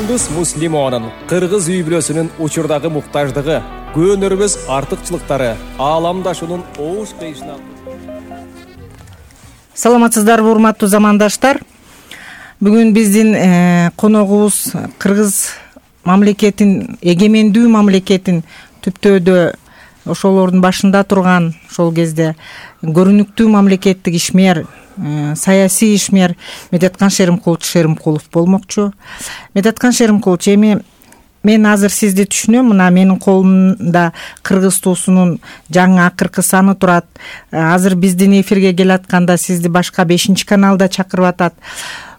Юлдуз Муслимованын кыргыз үй-бүлөсүнүн учурдагы муктаждыгы, көөнөрбөс артыкчылыктары, ааламдашуунун оош кыйшына. Саламатсыздарбы, урматтуу замандаштар. Бүгүн биздин коногубуз кыргыз мамлекетин, эгемендүү мамлекетин түптөөдө ошолордун башында турган, ошол кезде көрүнүктүү мамлекеттик ишмер, саясий ишмер Медеткан Шеримкулов болмокчу. Медеткан Шеримкулович, эми мен азыр сизди түшүнөм. Мына менин колумда кыргыз туусунун жаңы акыркы саны турат. Азыр биздин эфирге келатканда сизди башка 5 каналда чакырып атат.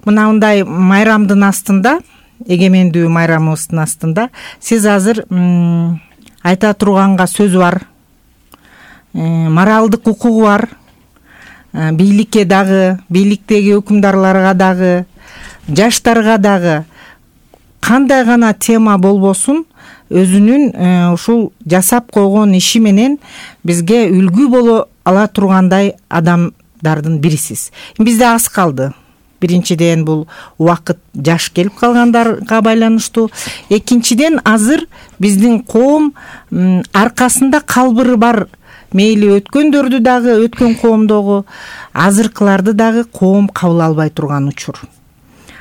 Мынандай майрамдын астында, эгемендүү майрамыбыздын астында сиз азыр айта турганга сөзү бар, моралдык укугу бар, бийликке дагы, бийликтеги өкүмдарларга дагы, жаштарга дагы кандай гана тема болбосун өзүнүн ушул жасап койгон иши менен бизге үлгү боло ала тургандай адамдардын бирисиз. Бизде аз калды. Биринчиден бул убакыт жаш келип калгандарга байланыштуу. Экинчиден азыр биздин коом аркасында калбыры бар. Мейли өткөндөрдү дагы, өткөн коомдогу, азыркыларды дагы коом кабыл албай турган учур.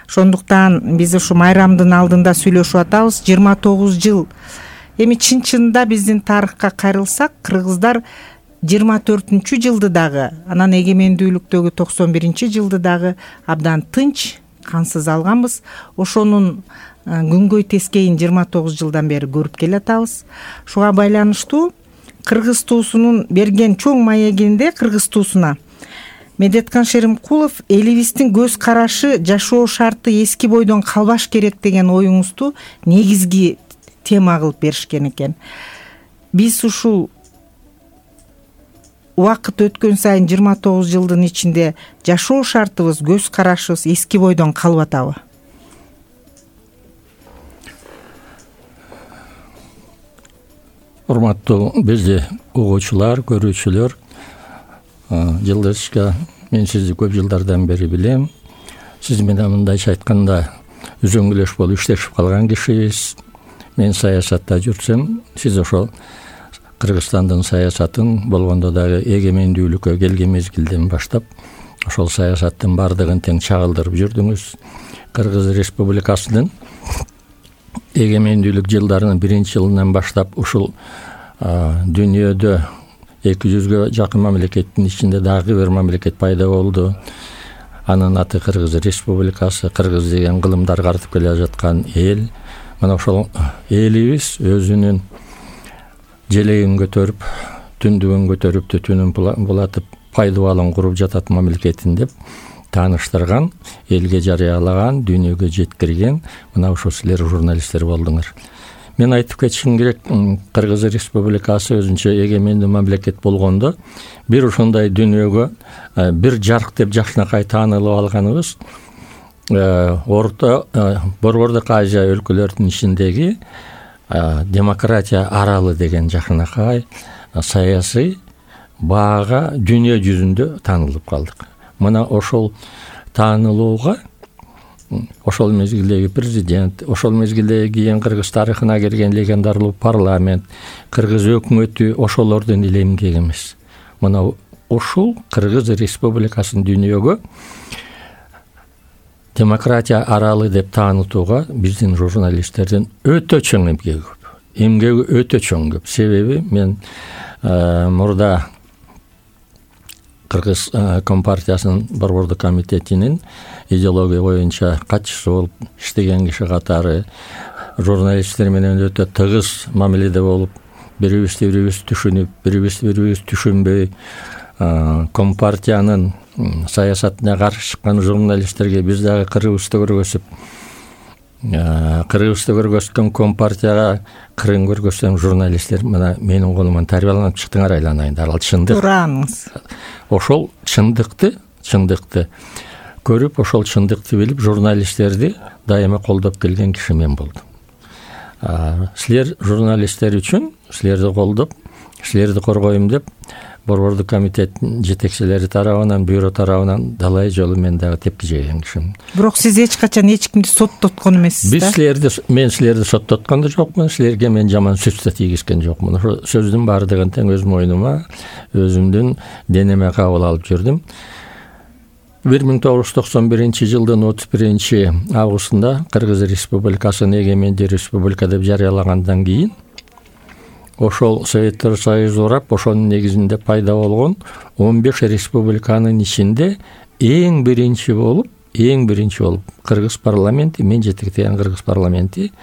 Ошондуктан биз ушу майрамдын алдында сүйлөшүп атабыз. 29 жыл. Эми чын-чынында биздин тарыхка кайрылсак, кыргыздар 24 жылды дагы, анан эгемендүүлүктөгү 91 жылды дагы абдан тынч, кансыз алганбыз. Ошонун күнгөй тескейин 29 жылдан бери көрүп келатабыз. Шуга байланыштуу кыргыз туусунун берген чоң маегинде кыргыз туусуна Медеткан Шеримкулов элибиздин көз карашы, жашоо шарты эски бойдон калбаш керек деген оюңузду негизги тема кылып беришкен экен. Биз ушул убакыт өткөн сайын 29 жылдын ичинде жашоо шартыбыз, көз карашыбыз эски бойдон калып атабы? Урматтуу бизди угуучулар, көрүүчүлөр, Жылдызчка, мен сизди көп жылдардан бери билем. Сиз менен мындайча айтканда үзөңгүлөш болуп иштешип калган кишибиз. Мен саясатта жүрсөм, сиз ошол Кыргызстандын саясатын болгондо дагы эгемендүүлүккө келген мезгилден баштап ошол саясаттын бардыгын тең чагылдырып жүрдүңүз. Кыргыз Республикасынын эгемендүүлүк жылдарынын 1-жылынан баштап ушул дүйнөдө 200гө жакын мамлекеттин ичинде дагы бир мамлекет пайда болду. Анын аты Кыргыз Республикасы. Кыргыз деген кылымдар картып келе жаткан эл. Мына ошол элибиз өзүнүн желегин көтөрүп, түндүгүн көтөрүп, түтүнүн булатып, пайдубалын куруп жатат мамлекетин деп тааныштырган, элге жарыялаган, дүйнөгө жеткирген мына ошо силер журналисттер болдуңар. Мен айтып кетишим керек, Кыргыз Республикасы өзүнчө эгемендүү мамлекет болгондо бир ошондой дүйнөгө бир жарк деп жакшынакай таанылып алганыбыз Орто Борбордук Азия өлкөлөрүнүн ичиндеги демократия аралы деген жакшынакай саясий баага дүйнө жүзүндө таанылып калдык. Мына ошол таанылууга ошол мезгилдеги президент, ошол мезгилдеги кийин кыргыз тарыхына кирген легендарлуу парламент, кыргыз өкмөтү ошолордун эле эмгеги эмес. Мына ушул Кыргыз Республикасын дүйнөгө демократия аралы деп таанытууга биздин журналисттердин өтө чоң эмгеги көп. Эмгеги өтө чоң көп. Себеби мен мурда Кыргыз Компартиясынын Борбордук комитетинин идеология боюнча катчысы болуп иштеген киши катары журналисттер менен өтө тыгыз мамиледе болуп, бирибизди бирибиз түшүнүп, бирибизди бирибиз түшүнбөй, Компартиянын саясатына каршы чыккан журналисттерге биз дагы кырыбызды көргөзүп, кырыбызды көргөзгөн Компартияга кырын көргөзгөн журналисттер мына менин колуман тарбияланып чыктыңар, айланайындар. Ал чындык. Тураңыз. Ошол чындыкты көрүп, ошол чындыкты билип, журналисттерди дайыма колдоп келген киши мен болдум. Силер журналисттер үчүн, силерди колдоп, силерди коргойм деп борбордук комитеттин жетекчилери тарабынан, бюро тарабынан далай жолу мен дагы тепки жеген кишимин. Бирок сиз эч качан эч кимди соттоткон эмессиз да? Мен силерди соттоткон да жокмун, силерге мен жаман сөз да тийгизген жокмун. Ошо сөздүн баардыгын тең өз мойнума, өзүмдүн денеме кабыл алып жүрдүм. 1991-жылдын 31 августунда Кыргыз Республикасын эгемендүү республика деп жарыялагандан кийин ошол Советтер Союзу урап, ошонун негизинде пайда болгон 15 республиканын ичинде эң биринчи болуп Кыргыз парламенти, мен жетектеген Кыргыз парламенти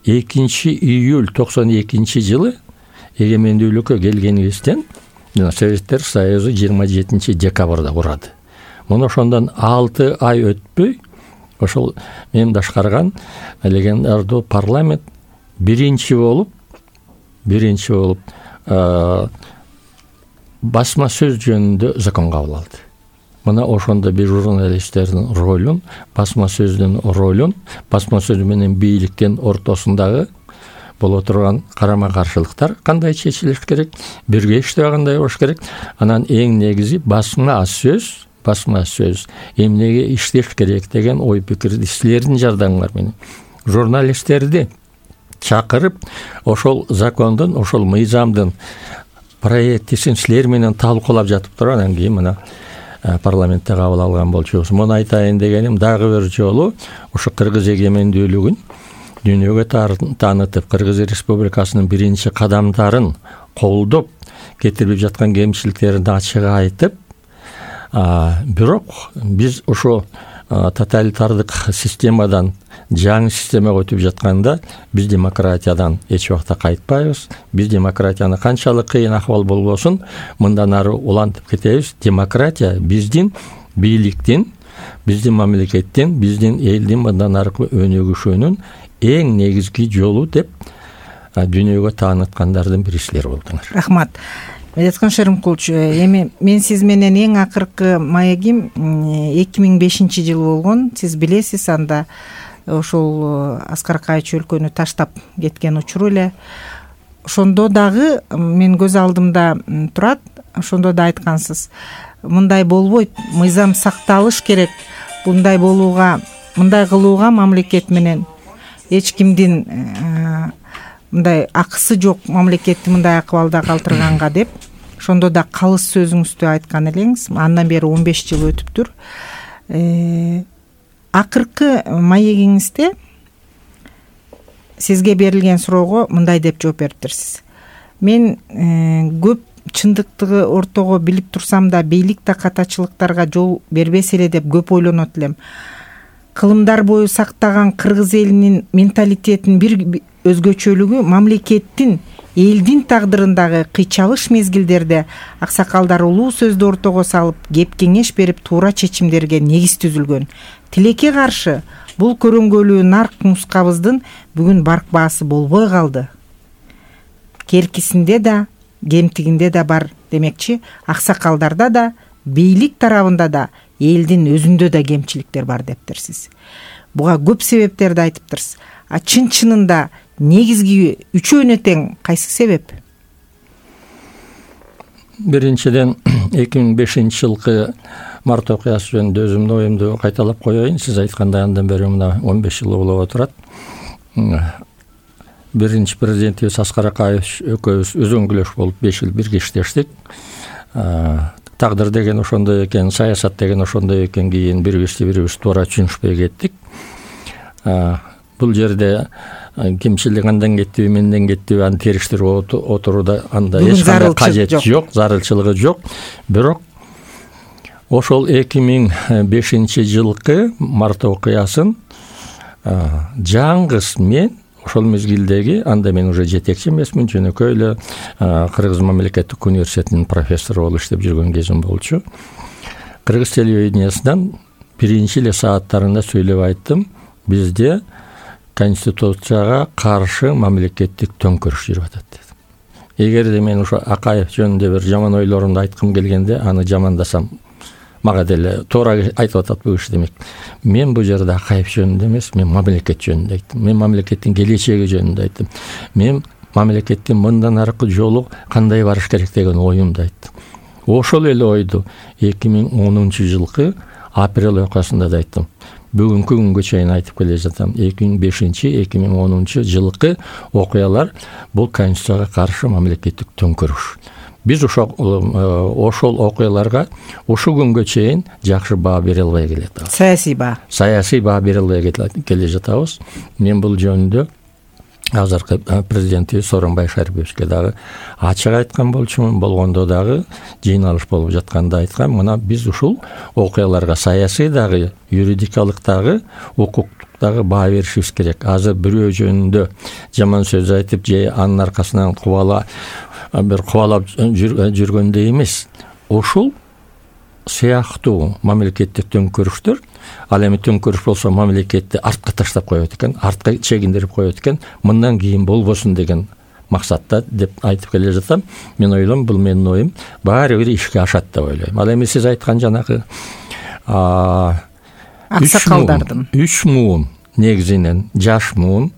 2-июль 92-жылы эгемендүүлүккө келгенибизден Советтер Союзу 27-декабрда курады. Муну ошондон 6 ай өтпөй ошол мен башкарган легендардуу парламент биринчи болуп басма сөз жөнүндө закон кабыл алды. Мына ошондо бир журналисттердин ролун, басма сөздүн ролун, басма сөз менен бийликтин ортосундагы боло турган карама-каршылыктар кандай чечилиш керек, бирге иштөө кандай болуш керек, анан эң негизи басма сөз эмнеге иштеш керек деген ой пикирди силердин жардамыңар менен журналисттерди чакырып, ошол закондун, ошол мыйзамдын проектисин силер менен талкуулап жатып туруп, анан кийин мына парламентте кабыл алган болчубуз. Муну айтайын дегеним, дагы бир жолу ошо Кыргыз эгемендүүлүгүн дүйнөгө таанытып, Кыргыз Республикасынын биринчи кадамдарын колдоп кетирип жаткан кемчиликтерин ачык айтып, бирок биз ошо тоталитардык системадан жаңы системага өтүп жатканда биз демократиядан эч убакта кайтпайбыз. Биз демократияны канчалык кыйын акыбал болбосун, мындан ары улантып кетебиз. Демократия биздин бийликтин, биздин мамлекеттин, биздин элдин мындан аркы өнүгүшүнүн эң негизги жолу деп дүйнөгө тааныткандардын бири силер болдуңар. Рахмат. Медеткан Шеримкулович, эми мен сиз менен эң акыркы маегим 2005-жылы болгон. Сиз билесиз, анда ошол Аскар Акаевич өлкөнү таштап кеткен учуру эле. Ошондо дагы мен көз алдымда турат, ошондо да айткансыз, мындай болбойт, мыйзам сакталыш керек, мындай кылууга мамлекет менен эч кимдин мындай акысы жок, мамлекетти мындай акыбалда калтырганга деп. Ошондо да калыс сөзүңүздү айткан элеңиз. Андан бери 15 жыл өтүптүр. Акыркы маегиңизде сизге берилген суроого мындай деп жооп бериптирсиз. Мен көп чындыктыгы ортого билип турсам да, бийлик да катачылыктарга жол бербес эле деп көп ойлонот элем. Кылымдар бою сактаган кыргыз элинин менталитетинин бир өзгөчөлүгү мамлекеттин, элдин тагдырындагы кыйчалыш мезгилдерде аксакалдар улуу сөздү ортого салып, кеп кеңеш берип, туура чечимдерге негиз түзүлгөн. Тилекке каршы бул көрөңгөлүү нарк мускабыздын бүгүн баркпаасы болбой калды. Керкисинде да, кемтигинде да бар демекчи, аксакалдарда да, бийлик тарабында да, элдин өзүндө да кемчиликтер бар дептирсиз. Буга көп себептерди айтыптырсыз. Чын-чынында негизги үчөөнө тең кайсы себеп? Биринчиден 2005-жылкы март окуясы жөнүндө өзүмдүн оюмду кайталап коеюн. Сиз айткандай андан бери мына 15 жыл болуп отурат. Биринчи президентибиз Аскар Акаевич экөөбүз үзөңгүлөш болуп 5 жыл бирге иштештик. Тагдыр деген ошондой экен, саясат деген ошондой экен, кийин бирибиз туура түшүнүшпөй кеттик. Бул жерде кемчилик андан кеттиби, менден кеттиби, аны териштирип отурууда анда эч кандай кажет жок, зарылчылыгы жок. Бирок ошол 2005-жылкы март окуясын жаңгыз мен ошол мезгилдеги, анда мен уже жетекчи эмесмин, жөнөкөй эле Кыргыз мамлекеттик университетинин профессору болуп иштеп жүргөн кезим болчу. Кыргыз телевидениясынан биринчи эле сааттарында сүйлөп айттым, бизде конституцияга каршы мамлекеттик төңкөрүш жүрүп атат дедим. Эгерде мен ошо Акаев жөнүндө бир жаман ойлорумду айткым келгенде, аны жамандасам мага деле туура айтып атат бул киши демек. Мен бул жерде Акаев жөнүндө эмес, мен мамлекет жөнүндө айттым. Мен мамлекеттин келечеги жөнүндө айттым. Мен мамлекеттин мындан аркы жолу кандай барыш керек деген оюмду айттым. Ошол эле ойду 2010-жылкы апрель окуясында да айттым. Бүгүнкү күнгө чейин айтып келе жатам. 2005-2010 жылкы окуялар бул конституцияга каршы мамлекеттик төңкөрүш. Биз ошол окуяларга ушул күнгө чейин жакшы баа бере албай келет. Саясий баа бере албай келе жатабыз. Мен бул жөнүндө азыркы президентибиз Сооронбай Шариповичке дагы ачык айткан болчумун. Болгондо дагы жыйналыш болуп жатканда айткан, мына биз ушул окуяларга саясий дагы, юридикалык дагы, укуктук дагы баа беришибиз керек. Азыр бирөө жөнүндө жаман сөз айтып, же анын аркасынан кубалап жүргөндөй эмес. Ушул сыяктуу мамлекеттик төңкөрүштөр, ал эми төңкөрүш болсо мамлекетти артка таштап коет экен, артка чегиндирип коет экен, мындан кийин болбосун деген максатта деп айтып келе жатам. Мен ойлойм, бул менин оюм, баары бир ишке ашат деп ойлойм. Ал эми сиз айткан жанагы аксакалдардын 3 муун негизинен жаш муун,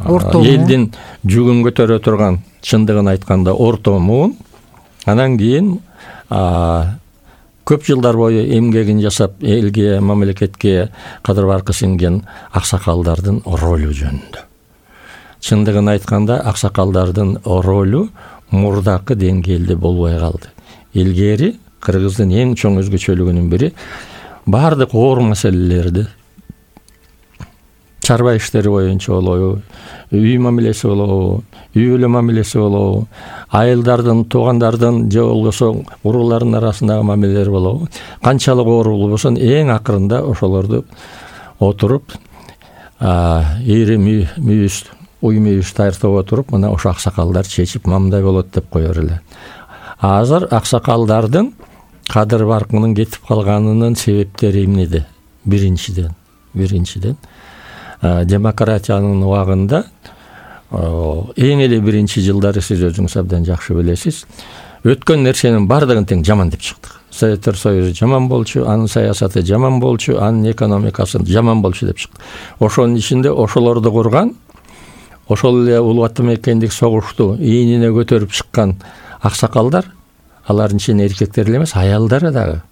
элдин жүгүн көтөрө турган, чындыгын айтканда орто муун, анан кийин көп жылдар бою эмгегин жасап, элге, мамлекетке кадыр баркы сиңген аксакалдардын ролу жөнүндө. Чындыгын айтканда, аксакалдардын ролу мурдакы деңгээлде болбой калды. Илгери Кыргыздын эң чоң өзгөчөлүгүнүн бири баардык оор маселелерди, чарба иштери боюнча болобу, үй мамилеси болобу, үй бүлө мамилеси болобу, айылдардын, туугандардын же болбосо уруулардын арасындагы мамилелер болобу, канчалык оор болбосун эң акырында ошолорду отуруп, ири мүйүз, уй мүйүз тартып отуруп, мына ошо аксакалдар чечип мындай болот деп коёр эле. Азыр аксакалдардын кадыр баркынын кетип калганынын себептери эмнеде? Биринчиден демократиянын убагында эң эле биринчи жылдары сиз өзүңүз абдан жакшы билесиз, өткөн нерсенин бардыгын тең жаман деп чыктык. Советтер Союзу жаман болчу, анын саясаты жаман болчу, анын экономикасы жаман болчу деп чыкты. Ошонун ичинде ошолорду курган, ошол эле Улуу Ата Мекендик согушту ийнине көтөрүп чыккан аксакалдар, алардын ичинде эркектер эле эмес, аялдар дагы.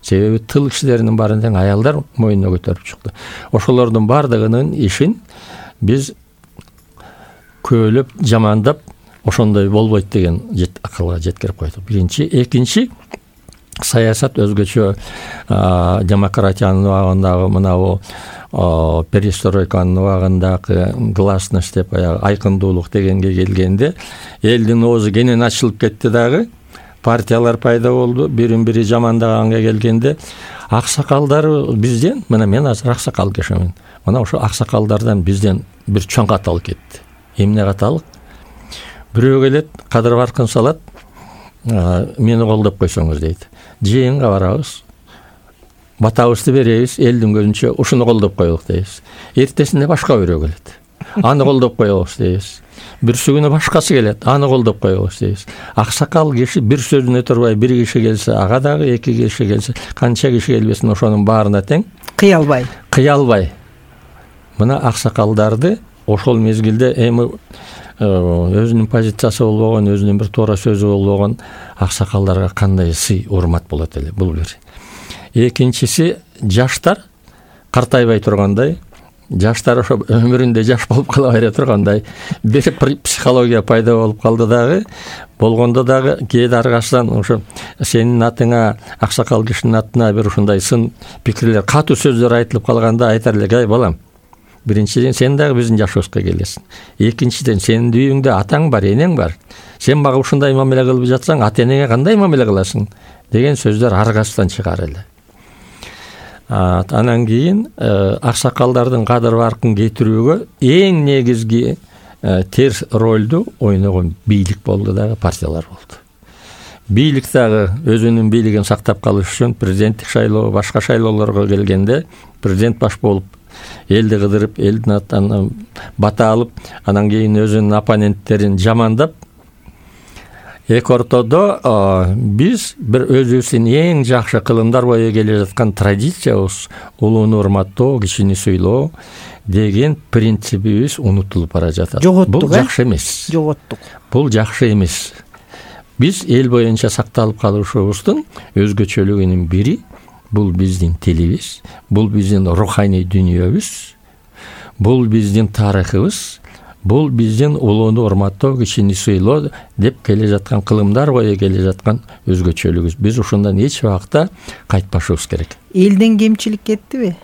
Себеби тыл кишилеринин баарын тең аялдар мойнуна көтөрүп чыкты. Ошолордун бардыгынын ишин биз көөлөп, жамандап, ошондой болбойт деген акылга жеткирип койдук. Биринчи, экинчи, саясат өзгөчө демократиянын убагындагы мына перестройканын убагындагы гласность деп айкындуулук дегенге келгенде, элдин оозу кенен ачылып кетти дагы. Партиялар пайда болду, бирин-бири жамандаганга келгенде, аксакалдар бизден, мына мен азыр аксакал кишимин. Мына ошо аксакалдардан бизден бир чоң каталык кетти. Эмне каталык? Бирөө келет, кадыр баркын салат, мени колдоп койсоңуз дейт. Жыйынга барабыз, батабызды беребиз, элдин көзүнчө ушуну колдоп коелук дейбиз. Эртесинде башка бирөө келет, аны колдоп коелук дейбиз. Бирсү күнү башкасы келет, аны колдоп коелук дейбиз. Аксакал киши бир сөзүнө турбай, бир киши келсе, ага дагы эки киши келсе, канча киши келбесин ошонун баарына тең кыялбай. Мына аксакалдарды ошол мезгилде эми өзүнүн позициясы болбогон, өзүнүн бир туура сөзү болбогон аксакалдарга кандай сый, урмат болот эле, бул бир. Экинчиси, жаштар картайбай тургандай, жаштар ошо өмүрүндө жаш болуп кала бере тургандай бир психология пайда болуп калды дагы. Болгондо дагы кээде аркасынан ошо сенин атыңа, аксакал кишинин атына бир ушундай сын пикирлер, катуу сөздөр айтылып калганда айтар элек: "Ай балам, биринчиден сен дагы биздин жашыбызга келесиң. Экинчиден сенин үйүңдө атаң бар, энең бар. Сен мага ушундай мамиле кылып жатсаң, ата энеңе кандай мамиле кыласың?" деген сөздөр аркасынан чыгар эле. Анан кийин аксакалдардын кадыр баркын кетирүүгө эң негизги терс ролду ойногон бийлик болду дагы, партиялар болду. Бийлик дагы өзүнүн бийлигин сактап калыш үчүн президенттик шайлоо, башка шайлоолорго келгенде президент баш болуп, элди кыдырып, элдин атынан бата алып, анан кийин өзүнүн оппоненттерин жамандап, эки ортодо биз бир өзүбүздүн эң жакшы кылымдар бою келе жаткан традициябыз, улууну урматтоо, кичини сыйлоо деген принцибибиз унутулуп бара жатат. Бул жакшы эмес. Бул жакшы эмес. Биз эл боюнча сакталып калышыбыздын өзгөчөлүгүнүн бири бул биздин тилибиз, бул биздин руханий дүйнөбүз, бул биздин тарыхыбыз, бул биздин улууну урматтоо, кишини сыйлоо деп келе жаткан, кылымдар бою келе жаткан өзгөчөлүгүбүз. Биз ушундан эч убакта кайтпашыбыз керек. Элден кемчилик кеттиби?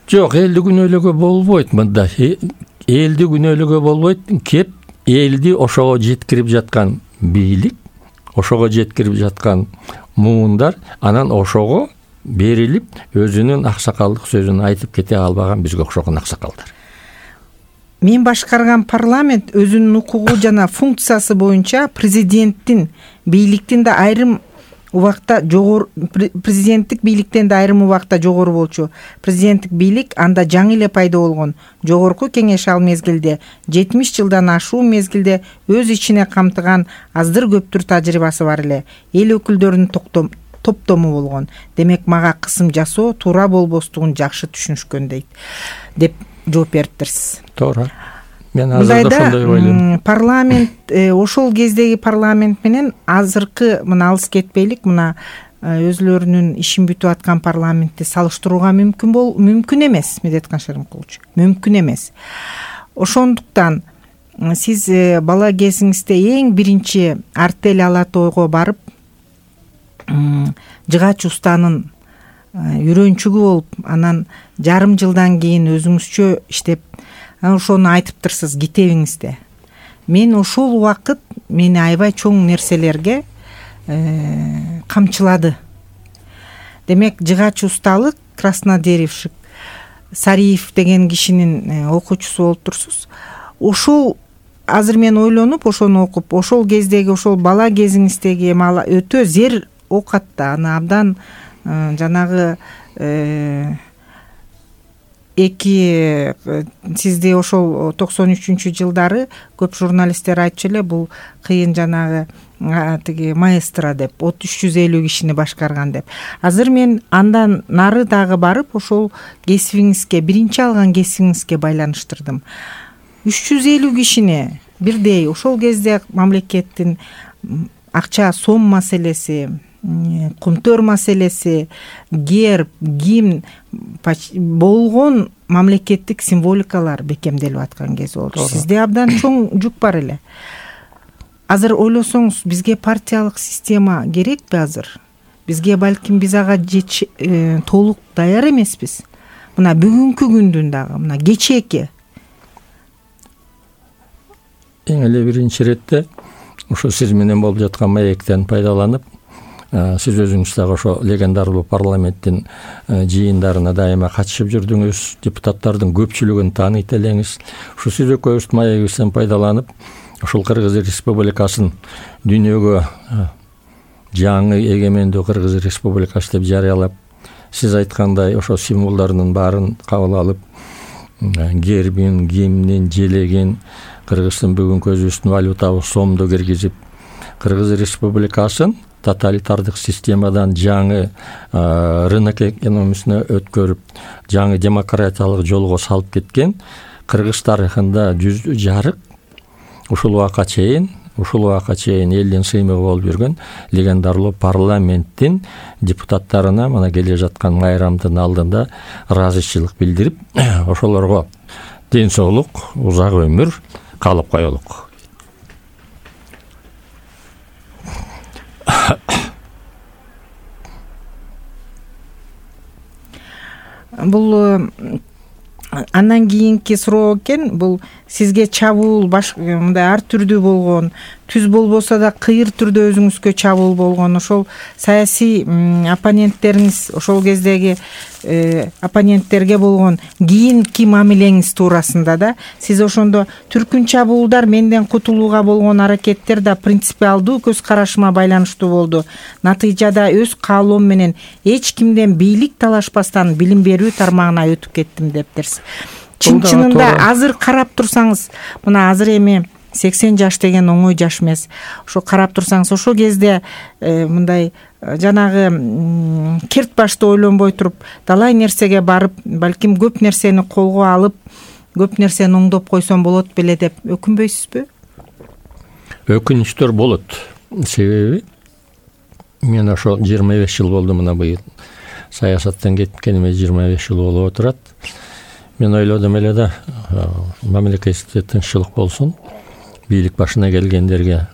Жок, элди күнөөлөгө болбойт. Мында элди күнөөлөгө болбойт. Кеп элди ошого жеткирип жаткан бийлик, ошого жеткирип жаткан муундар, анан ошого берилип өзүнүн аксакалдык сөзүн айтып кете албаган бизге окшогон аксакалдар. Мен башкарган парламент өзүнүн укугу жана функциясы боюнча президенттин бийликтин да айрым убакта жогору, президенттик бийликтен да айрым убакта жогору болчу. Президенттик бийлик анда жаңы эле пайда болгон. Жогорку кеңеш ал мезгилде 70 жылдан ашуу мезгилде өз ичине камтыган аздыр көптүр тажрыйбасы бар эле. Эл өкүлдөрүнүн топтому болгон. Демек мага кысым жасоо туура болбостугун жакшы түшүнүшкөн деп жооп бериптирсиз. Туура. Мен азырда ошондой ойлойм. Парламент ошол кездеги парламент менен азыркы мына алыс кетпейлик, мына өзлөрүнүн ишин бүтүп аткан парламентти салыштырууга мүмкүн эмес, Медеткан Шеримкулович. Мүмкүн эмес. Ошондуктан сиз бала кезиңизде эң биринчи Артель Ала Тойго барып Жыгач устанын үйрөнчүгү болуп, анан жарым жылдан кийин өзүңүзчө иштеп, ошону айтыптырсыз китебиңизде. Мен ошол убакыт мени аябай чоң нерселерге камчылады. Демек, жыгач усталык, Краснодеревщик Сариев деген кишинин окуучусу болуп турсуз. Ошол азыр мен ойлонуп, ошону окуп, ошол кездеги, ошол бала кезиңиздеги өтө зер окатта, аны абдан жанагы сизди ошол 93-жылдары көп журналисттер айтчу эле, бул кыйын жанагы тиги маэстро деп, 350 кишини башкарган деп. Азыр мен андан нары дагы барып, ошол кесибиңизге, биринчи алган кесибиңизге байланыштырдым. 350 кишини бирдей ошол кезде мамлекеттин акча сом маселеси, кумтөр маселеси, герб, гимн болгон мамлекеттик символикалар бекемделип аткан кез болчу. Сизде абдан чоң жүк бар эле. Азыр ойлосоңуз, бизге партиялык система керекпи азыр? Бизге балким биз ага толук даяр эмеспиз. Мына бүгүнкү күндүн дагы, мына кечээки. Эң эле биринчи иретте ошо сиз менен болуп жаткан маектен пайдаланып, сиз өзүңүз дагы ошо легендарлуу парламенттин жыйындарына дайыма катышып жүрдүңүз, депутаттардын көпчүлүгүн тааныйт элеңиз. Ушу сиз экөөбүздүн маегибизден пайдаланып, ошол Кыргыз Республикасын дүйнөгө жаңы эгемендүү Кыргыз Республикасы деп жарыялап, сиз айткандай ошо символдордун баарын кабыл алып, гербин, гимнин, желегин, Кыргыздын бүгүнкү өзүбүздүн валютабыз сомду киргизип, Кыргыз Республикасын тоталитардык системадан жаңы рынок экономиясына өткөрүп, жаңы демократиялык жолго салып кеткен Кыргыз тарыхында жүздү жарык ушул убакка чейин элдин сыймыгы болуп жүргөн легендарлуу парламенттин депутаттарына мына келе жаткан майрамдын алдында ыраазычылык билдирип, ошолорго ден соолук, узак өмүр каалап коелук. Бул андан кийинки суроо экен, бул сизге чабуул мындай ар түрдүү болгон, түз болбосо да кыйыр түрдө өзүңүзгө чабуул болгон ошол саясий оппоненттериңиз, ошол кездеги оппоненттерге болгон кийинки мамилеңиз туурасында да сиз ошондо түркүн чабуулдар менден кутулууга болгон аракеттер да принципиалдуу көз карашыма байланыштуу болду. Натыйжада өз каалоом менен эч кимден бийлик талашпастан билим берүү тармагына өтүп кеттим дептирсиз. Чын-чынында азыр карап турсаңыз, мына азыр эми 80 жаш деген оңой жаш эмес. Ошо карап турсаңыз, ошол кезде мындай жанагы керт башты ойлонбой туруп, далай нерсеге барып, балким көп нерсени колго алып, көп нерсени оңдоп койсом болот беле деп өкүнбөйсүзбү? Өкүнүчтөр болот. Себеби мен ошо 25 жыл болду, мына быйыл саясаттан кеткениме 25 жыл болуп отурат. Мен ойлодум эле да, мамлекетте тынччылык болсун, бийлик башына келгендерге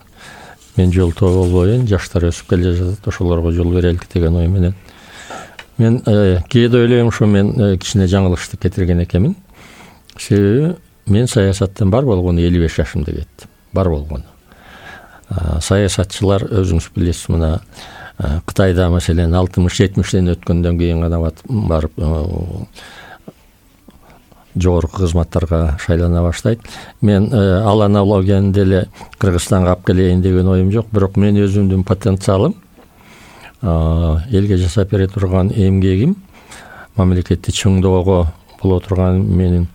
мен жолтоо болбоюн, жаштар өсүп келе жатат, ошолорго жол берелик деген ой менен. Мен кээде ойлойм, ушу мен кичине жаңылышты кетирген экенмин. Себеби мен саясаттан бар болгону 55 жашымда кеттим. Бар болгону. Саясатчылар өзүңүз билесиз, мына Кытайда маселен 60-70ден өткөндөн кийин гана барып жогорку кызматтарга шайлана баштайт. Мен ал аналогияны деле Кыргызстанга алып келейин деген оюм жок, бирок мен өзүмдүн потенциалым, элге жасап бере турган эмгегим, мамлекетти чыңдоого боло турган менин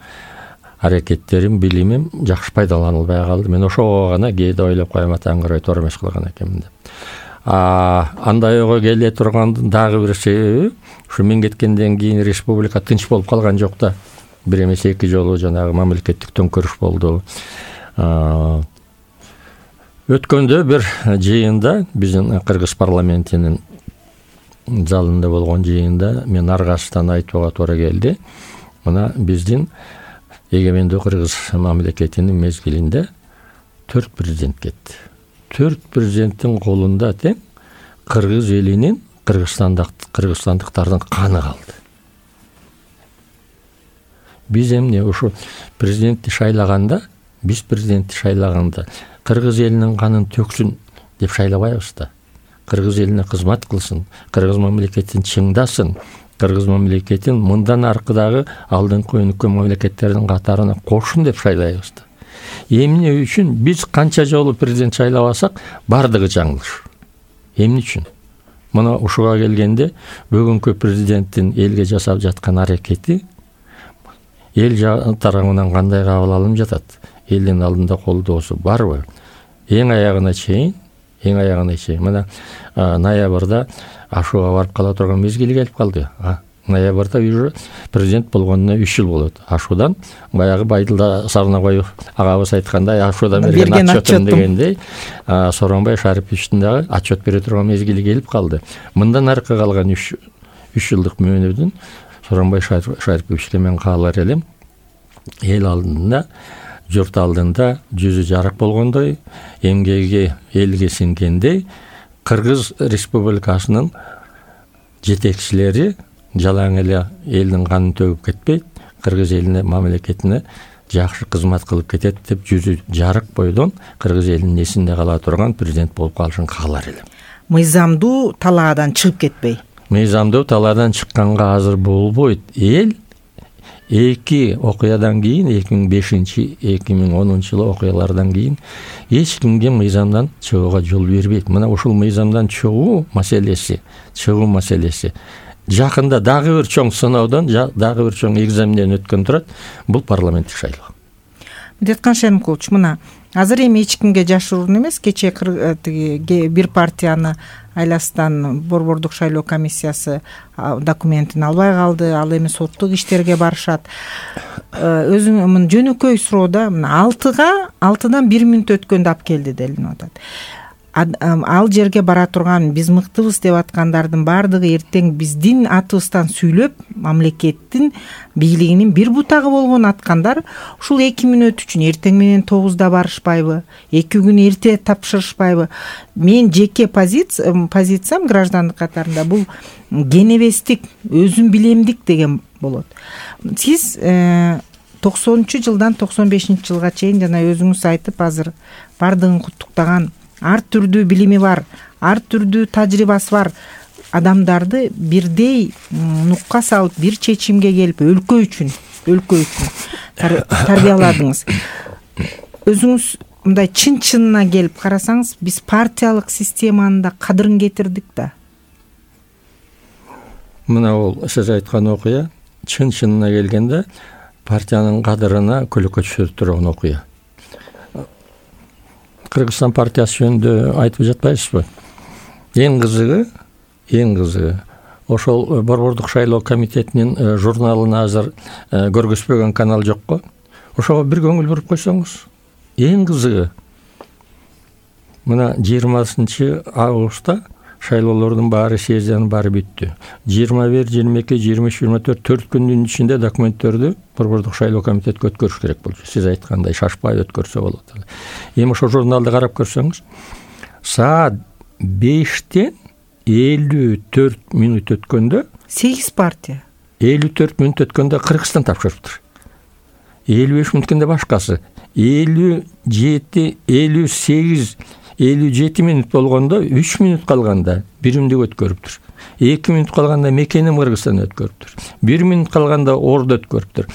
аракеттерим, билимим жакшы пайдаланылбай калды. Мен ошого гана кээде ойлоп коем, атаңгырай туура эмес кылган экенмин деп. Андай ойго келе турган дагы бир себеби, ушу мен кеткенден кийин республика тынч болуп калган жок да. Бир эмес 2 жолу жанагы мамлекеттик төңкөрүш болду. Өткөндө бир жыйында, биздин Кыргыз парламентинин залында болгон жыйында мен аргасыздан айтууга туура келди. Мына биздин эгемендүү Кыргыз мамлекетинин мезгилинде 4 президент кетти. 4 президенттин колунда тең кыргыз элинин, кыргызстандыктардын каны калды. Биз эмне ушу президентти шайлаганда, кыргыз элинин канын төксүн деп шайлабайбыз да. Кыргыз элине кызмат кылсын, кыргыз мамлекетин чыңдасын, кыргыз мамлекетин мындан аркыдагы алдыңкы өнүккөн мамлекеттердин катарына кошсун деп шайлайбыз да. Эмне үчүн биз канча жолу президент шайлабасак, бардыгы жаңылыш. Эмне үчүн? Мына ушуга келгенде бүгүнкү президенттин элге жасап жаткан аракети эл тарабынан кандай кабыл алынып жатат? Элдин алдында колдоосу барбы? Эң аягына чейин. Мына ноябрда Ашуга барып кала турган мезгили келип калды. Ноябрда уже президент болгонуна 3 жыл болот. Ашудан баягы Байдылда Сарнабаев агабыз айткандай, Ашудан берген отчетум дегендей, Сооронбай Шариповичтин дагы отчет бере турган мезгили келип калды. Мындан аркы калган 3 жылдык мөөнөдүн Сооронбай Шариповичке мен каалар элем, эл алдында, журт алдында жүзү жарык болгондой, эмгеги элге сиңгендей, Кыргыз Республикасынын жетекчилери жалаң эле элдин канын төгүп кетпейт, кыргыз элине, мамлекетине жакшы кызмат кылып кетет деп жүзү жарык бойдон кыргыз элинин эсинде кала турган президент болуп калышын каалар элем. Мыйзамдуу талаадан чыгып кетпей. Мыйзамдуу талаадан чыкканга азыр болбойт. Эл 2 окуядан кийин, 2005-2010 жылы окуялардан кийин эч кимге мыйзамдан чыгууга жол бербейт. Мына ушул мыйзамдан чыгуу маселеси жакында дагы бир чоң сыноодон, дагы бир чоң экзаменден өткөн турат. Бул парламенттик шайлоо. Деткан Шеримкулович, мына азыр эми эч кимге жашыруун эмес, кечээ бир партияны айласынан борбордук шайлоо комиссиясы документин албай калды, ал эми соттук иштерге барышат. Өзүң жөнөкөй суроода мына 6-дан 1 мүнөт өткөндө алып келди делинип атат. Ал жерге бара турган биз мыктыбыз деп аткандардын бардыгы эртең биздин атыбыздан сүйлөп, мамлекеттин бийлигинин бир бутагы болгон аткандар ушул 2 мүнөт үчүн эртең менен 9-да барышпайбы, 2 күн эрте тапшырышпайбы? Мен жеке позициям граждандык катарында бул кенебестик, өзүм билемдик деген болот. Сиз 90-жылдан 95-жылга чейин жана өзүңүз айтып азыр бардыгын куттуктаган, ар түрдүү билими бар, ар түрдүү тажрыйбасы бар адамдарды бирдей нукка салып, бир чечимге келип, өлкө үчүн тарбияладыңыз. Өзүңүз мындай чын-чынына келип карасаңыз, биз партиялык системанын да кадырын кетирдик да. Мына ол сиз айткан окуя чын-чынына келгенде партиянын кадырына көлөкө түшүрүп турган окуя. Кыргызстан партиясы жөнүндө айтып жатпайсызбы? Эң кызыгы ошол борбордук шайлоо комитетинин журналын азыр көргөзбөгөн канал жокко. Ошого бир көңүл буруп койсоңуз, эң кызыгы мына 20 августта шайлоолордун баары, сессиянын баары бүттү. 21, 22, 23, 24 4 күндүн ичинде документтерди Борбордук шайлоо комитетке өткөрүш керек болчу. Сиз айткандай шашпай өткөрсө болот. Эми ошо журналды карап көрсөңүз, саат 5-тен 54 мүнөт өткөндө 8 партия 54 мүнөт өткөндө Кыргызстан тапшырыптыр. 55 мүнөт өткөндө башкасы, 57, 58, 57 мүнөт болгондо 3 мүнөт калганда биримдик өткөрүптүр. 2 мүнөт калганда мекеним Кыргызстан өткөрүптүр. 1 мүнөт калганда Орду өткөрүптүр.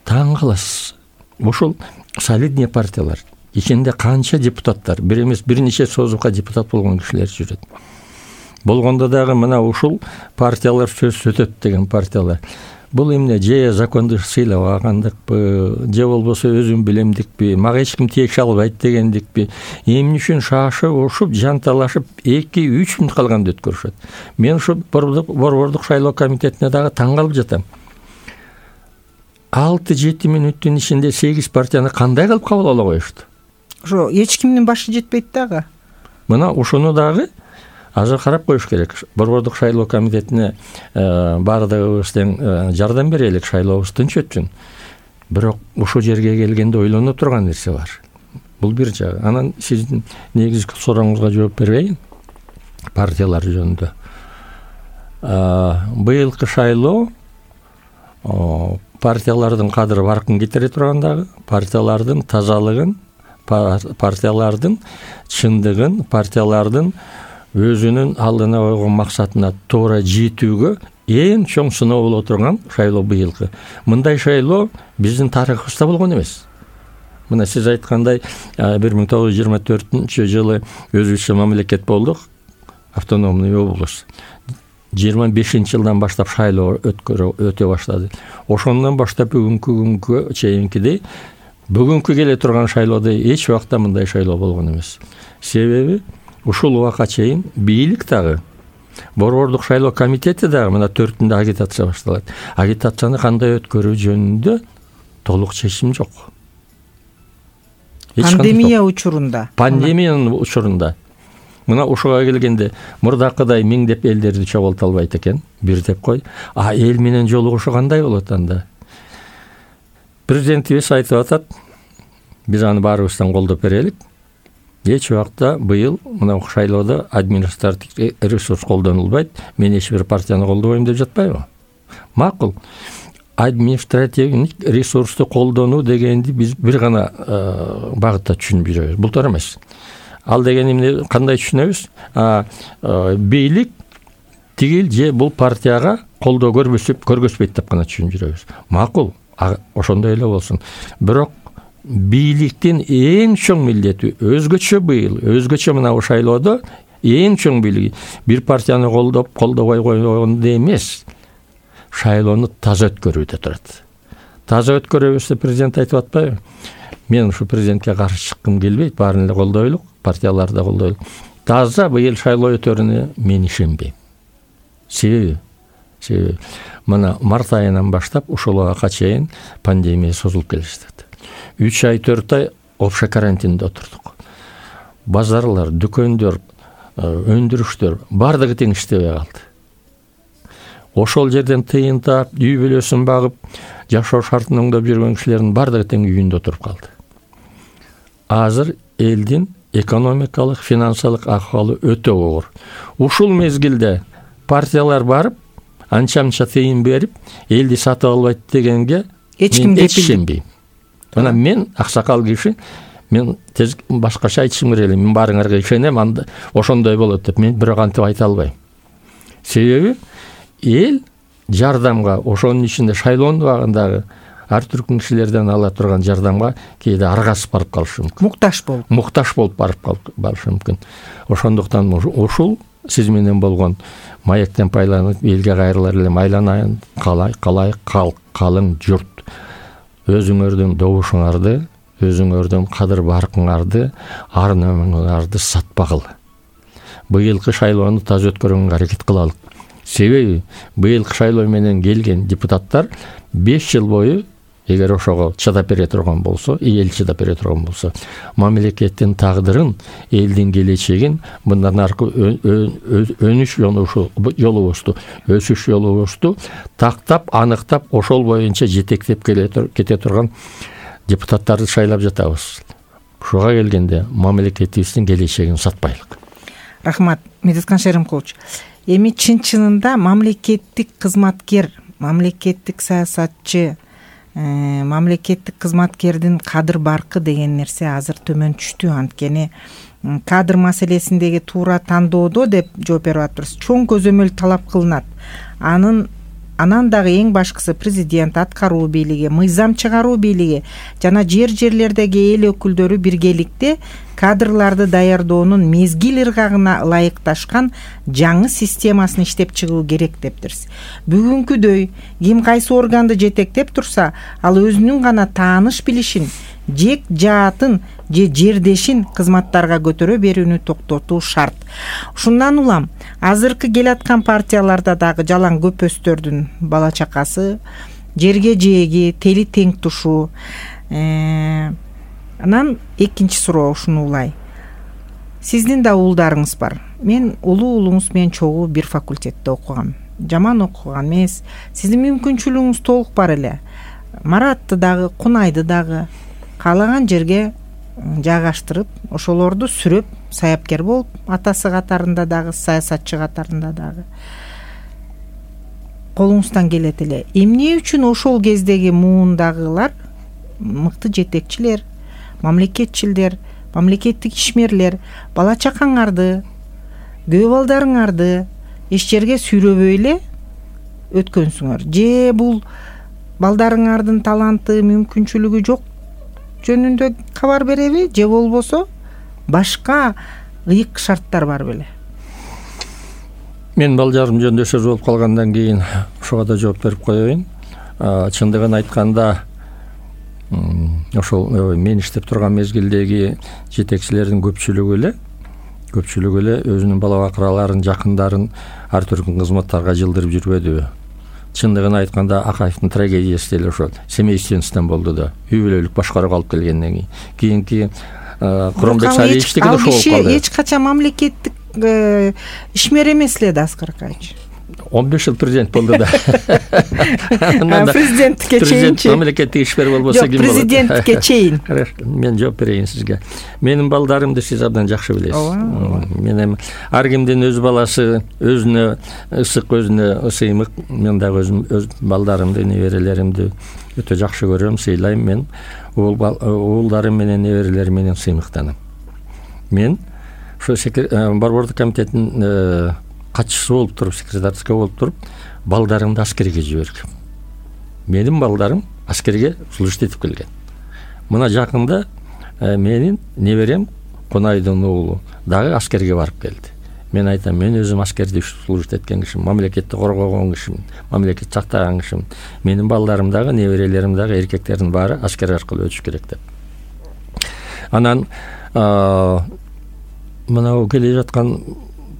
Таң каласыз. Ушул солидный партиялар ичинде канча депутаттар, бир эмес бир нече созукка депутат болгон кишилер жүрөт. Болгондо дагы мына ушул партиялар сөз өтөт деген партиялар. Бул эмне, же законду сыйлабагандыкпы, же болбосо өзүм билемдикпи, мага эч ким тиеши албайт дегендикпи, эмне үчүн шашып, ушуп, жанталашып 2-3 мүнөт калганда өткөрүшөт. Мен ушу Борбордук шайлоо комитетине дагы таң калып жатам. 6-7 мүнөттүн ичинде 8 партияны кандай кылып кабыл ала коюшту? Ошо эч кимдин башы жетпейт дагы. Мына ушуну дагы азыр карап коюш керек. Борбордук шайлоо комитетине баардыгыбыз тең жардам берелик, шайлообуз тынч өтсүн. Бирок ушул жерге келгенде ойлоно турган нерсе бар. Бул бир жагы. Анан сиздин негизги сурооңузга жооп берейин. Партиялар жөнүндө. Быйылкы шайлоо партиялардын кадыры баркын кетире тургандагы, партиялардын тазалыгын, партиялардын чындыгын, партиялардын өзүнүн алдына койгон максатына туура жетүүгө эң чоң сыноо боло турган шайлоо быйылкы. Мындай шайлоо биздин тарыхыбызда болгон эмес. Мына сиз айткандай 1924 жылы өзүбүзчө мамлекет болдук, автономный область. 25-жылдан баштап шайлоо өтө баштады. Ошондон баштап бүгүнкү күнгө чейинкидей бүгүнкү келе турган шайлоодо эч убакта мындай шайлоо болгон эмес. Себеби ушул убакка чейин бийлик дагы, Борбордук шайлоо комитети дагы мына 4-түндө агитация башталат. Агитацияны кандай өткөрүү жөнүндө толук чечим жок. Пандемия учурунда. Пандемиянын учурунда. Мына ушуга келгенде мурдакыдай миңдеп элдерди чогулта албайт экен, бир деп кой. Эл менен жолугушу кандай болот анда? Президентибиз айтып атат, биз аны баарыбыздан колдоп берелик. Эч убакта быйыл мына шайлоодо административдик ресурс колдонулбайт. Мен эч бир партияны колдобойм деп жатпайбы? Макул. Административдик ресурсту колдонуу дегенди биз бир гана багытта түшүнүп жүрөбүз. Бултар эмес. Ал деген эмне, кандай түшүнөбүз? Бийлик тигил же бул партияга колдоо көргөзбөйт деп гана түшүнүп жүрөбүз. Макул. Ошондой эле болсун. Бирок бийликтин эң чоң милдети өзгөчө быйыл, өзгөчө мына шайлоодо эң чоң бийлиги бир партияны колдобой койгондо эмес, шайлоону таза өткөрүүдө турат. Таза өткөрөбүз деп президент айтып атпайбы? Мен ушу президентке каршы чыккым келбейт, баарын эле колдойлук, партияларды да колдойлук. Таза быйыл шайлоо өтөрүнө мен ишенбейм. Себеби мына март айынан баштап ушул убакка чейин пандемия созулуп келе жатат. 3 ай 4 ай опшо карантинде отурдук. Базарлар, дүкөндөр, өндүрүштөр бардыгы тең иштебей калды. Ошол жерден тыйын таап, үй бүлөсүн багып, жашоо шартын оңдоп жүргөн кишилердин бардыгы тең үйүндө отуруп калды. Азыр элдин экономикалык, финансылык акыбалы өтө оор. Ушул мезгилде партиялар барып, анча-мынча тыйын берип, элди сатып албайт дегенге эч ким ишенбейм. Мына мен аксакал киши, мен тез башкача айтышым керек эле, мен баарыңарга ишенем, анда ошондой болот деп мен бирок антип айта албайм. Себеби эл жардамга, ошонун ичинде шайлоонун убагындагы ар түркүн кишилерден ала турган жардамга кээде аргасып барып калышы мүмкүн. Мукташ болуп барып калышы мүмкүн. Ошондуктан ушул сиз менен болгон маектен байланып элге кайрылар элем, айланайын калың журт. Өзүңөрдүн добушуңарды, өзүңөрдүн кадыр баркыңарды, ар-номуңарды сатпагыла. Быйылкы шайлоону таза өткөрүүгө аракет кылалык. Себеби быйылкы шайлоо менен келген депутаттар 5 жыл бою эгер ошого чыдап бере турган болсо, эл чыдап бере турган болсо, мамлекеттин тагдырын, элдин келечегин, мындан аркы өнүш жолубузду, өсүш жолубузду тактап, аныктап, ошол боюнча жетектеп кете турган депутаттарды шайлап жатабыз. Ушуга келгенде мамлекетибиздин келечегин сатпайлык. Рахмат, Медеткан Шеримкулович. Эми чын-чынында мамлекеттик кызматкер, мамлекеттик саясатчы, мамлекеттик кызматкердин кадыр баркы деген нерсе азыр төмөн түштү. Анткени кадр маселесиндеги туура тандоодо деп жооп берип атабыз. Чоң көзөмөл талап кылынат. Анан дагы эң башкысы президент, аткаруу бийлиги, мыйзам чыгаруу бийлиги жана жерлердеги эл өкүлдөрү биргеликте кадрларды даярдоонун мезгил ыргагына ылайыкташкан жаңы системасын иштеп чыгуу керек дептирсиз. Бүгүнкүдөй ким кайсы органды жетектеп турса, ал өзүнүн гана тааныш билишин, жек жаатын же жердешин кызматтарга көтөрө берүүнү токтотуу шарт. Ушундан улам азыркы келаткан партияларда дагы жалаң көпөстөрдүн бала чакасы, жерге жээги, тели тең тушуу. Анан экинчи суроо ушуну улай. Сиздин да уулдарыңыз бар. Мен улуу уулуңуз менен чогуу бир факультетте окугам. Жаман окуган эмес. Сиздин мүмкүнчүлүгүңүз толук бар эле. Маратты дагы, Кунайды дагы каалаган жерге жайгаштырып, ошолорду сүрөп, саяпкер болуп, атасы катарында дагы, саясатчы катарында дагы колуңуздан келет эле. Эмне үчүн ошол кездеги муундагылар, мыкты жетекчилер, мамлекетчилдер, мамлекеттик ишмерлер бала чакаңарды, көө балдарыңарды эч жерге сүйрөбөй эле өткөнсүңөр? Же бул балдарыңардын таланты, мүмкүнчүлүгү жок жөнүндө кабар береби, же болбосо башка ыйык шарттар бар беле? Мен балдарым жөнүндө сөз болуп калгандан кийин ошого да жооп берип коеюн. Чындыгын айтканда, ошол мен иштеп турган мезгилдеги жетекчилердин көпчүлүгү эле өзүнүн бала бакыраларын, жакындарын ар түркүн кызматтарга жылдырып жүрбөдү. Чындыгын айтканда, Акаевдин трагедиясы деле ошол семейственностьтон болду да. Үй бүлөлүк башкарууга алып келгенден кийинки Куромбек Сариевичтики да ошол болуп калды. Эч качан мамлекеттик ишмер эмес эле да, Аскар Акаевич. 15 жыл президент болду да. Президенттикке чейинчи. Мамлекеттик ишмер болбосо ким болот? Президенттикке чейин. Мен жооп берейин сизге. Менин балдарымды сиз абдан жакшы билесиз. Мен эми ар кимдин өз баласы өзүнө ысык, өзүнө сыймык. Мен дагы өзүм өз балдарымды, неберелеримди өтө жакшы көрөм, сыйлайм. Мен уулдарым менен неберелерим менен сыймыктанам. Мен ошо Борбордук комитеттин катчысы болуп туруп, секретарский болуп туруп, балдарымды аскерге жибергем. Менин балдарым аскерге служить этип келген. Мына жакында менин неберем Кунайдын уулу дагы аскерге барып келди. Мен айтам, мен өзүм аскерде служить эткен кишим, мамлекетти коргогон кишим, мамлекетти сактаган кишим. Менин балдарым дагы, неберелерим дагы, эркектердин баары аскер аркылуу өтүш керек деп. Анан мына келе жаткан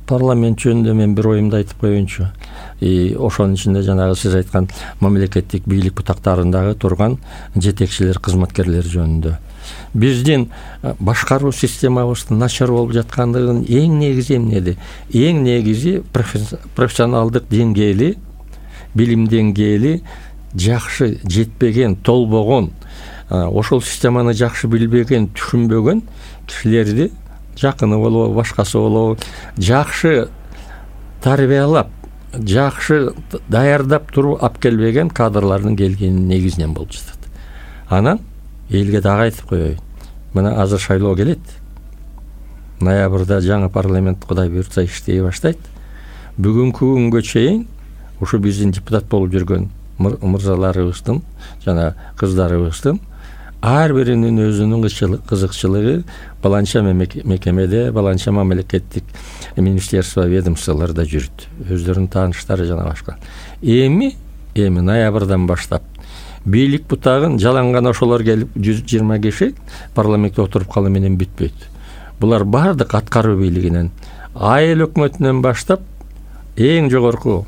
парламент жөнүндө мен бир оюмду айтып коеюнчу. Ошонун ичинде жанагы сиз айткан мамлекеттик бийлик бутактарындагы турган жетекчилер, кызматкерлер жөнүндө. Биздин башкаруу системабыздын начар болуп жаткандыгын эң негизи эмнеди? Эң негизи профессионалдык деңгээли, билим деңгээли жакшы жетпеген, толбогон, ошол системаны жакшы билбеген, түшүнбөгөн кишилерди, жакыны болобу, башкасы болобу, жакшы тарбиялап, жакшы даярдап туруп алып келбеген кадрлардын келгени негизинен болуп жатат. Анан элге дагы айтып коеюн. Мына азыр шайлоо келет. Ноябрда жаңы парламент Кудай буйртса иштей баштайт. Бүгүнкү күнгө чейин ушу биздин депутат болуп жүргөн мырзаларыбыздын жана кыздарыбыздын ар биринин өзүнүн кызыкчылыгы баланча мекемеде, баланча мамлекеттик министерство, ведомстволордо жүрүт. Өздөрүнүн тааныштары жана башка. Эми ноябрдан баштап бийлик бутагын жаланган ошолор келип 120 киши парламентте отуруп калуу менен бүтпөйт. Булар бардык аткаруу бийлигинен, айыл өкмөтүнөн баштап эң жогорку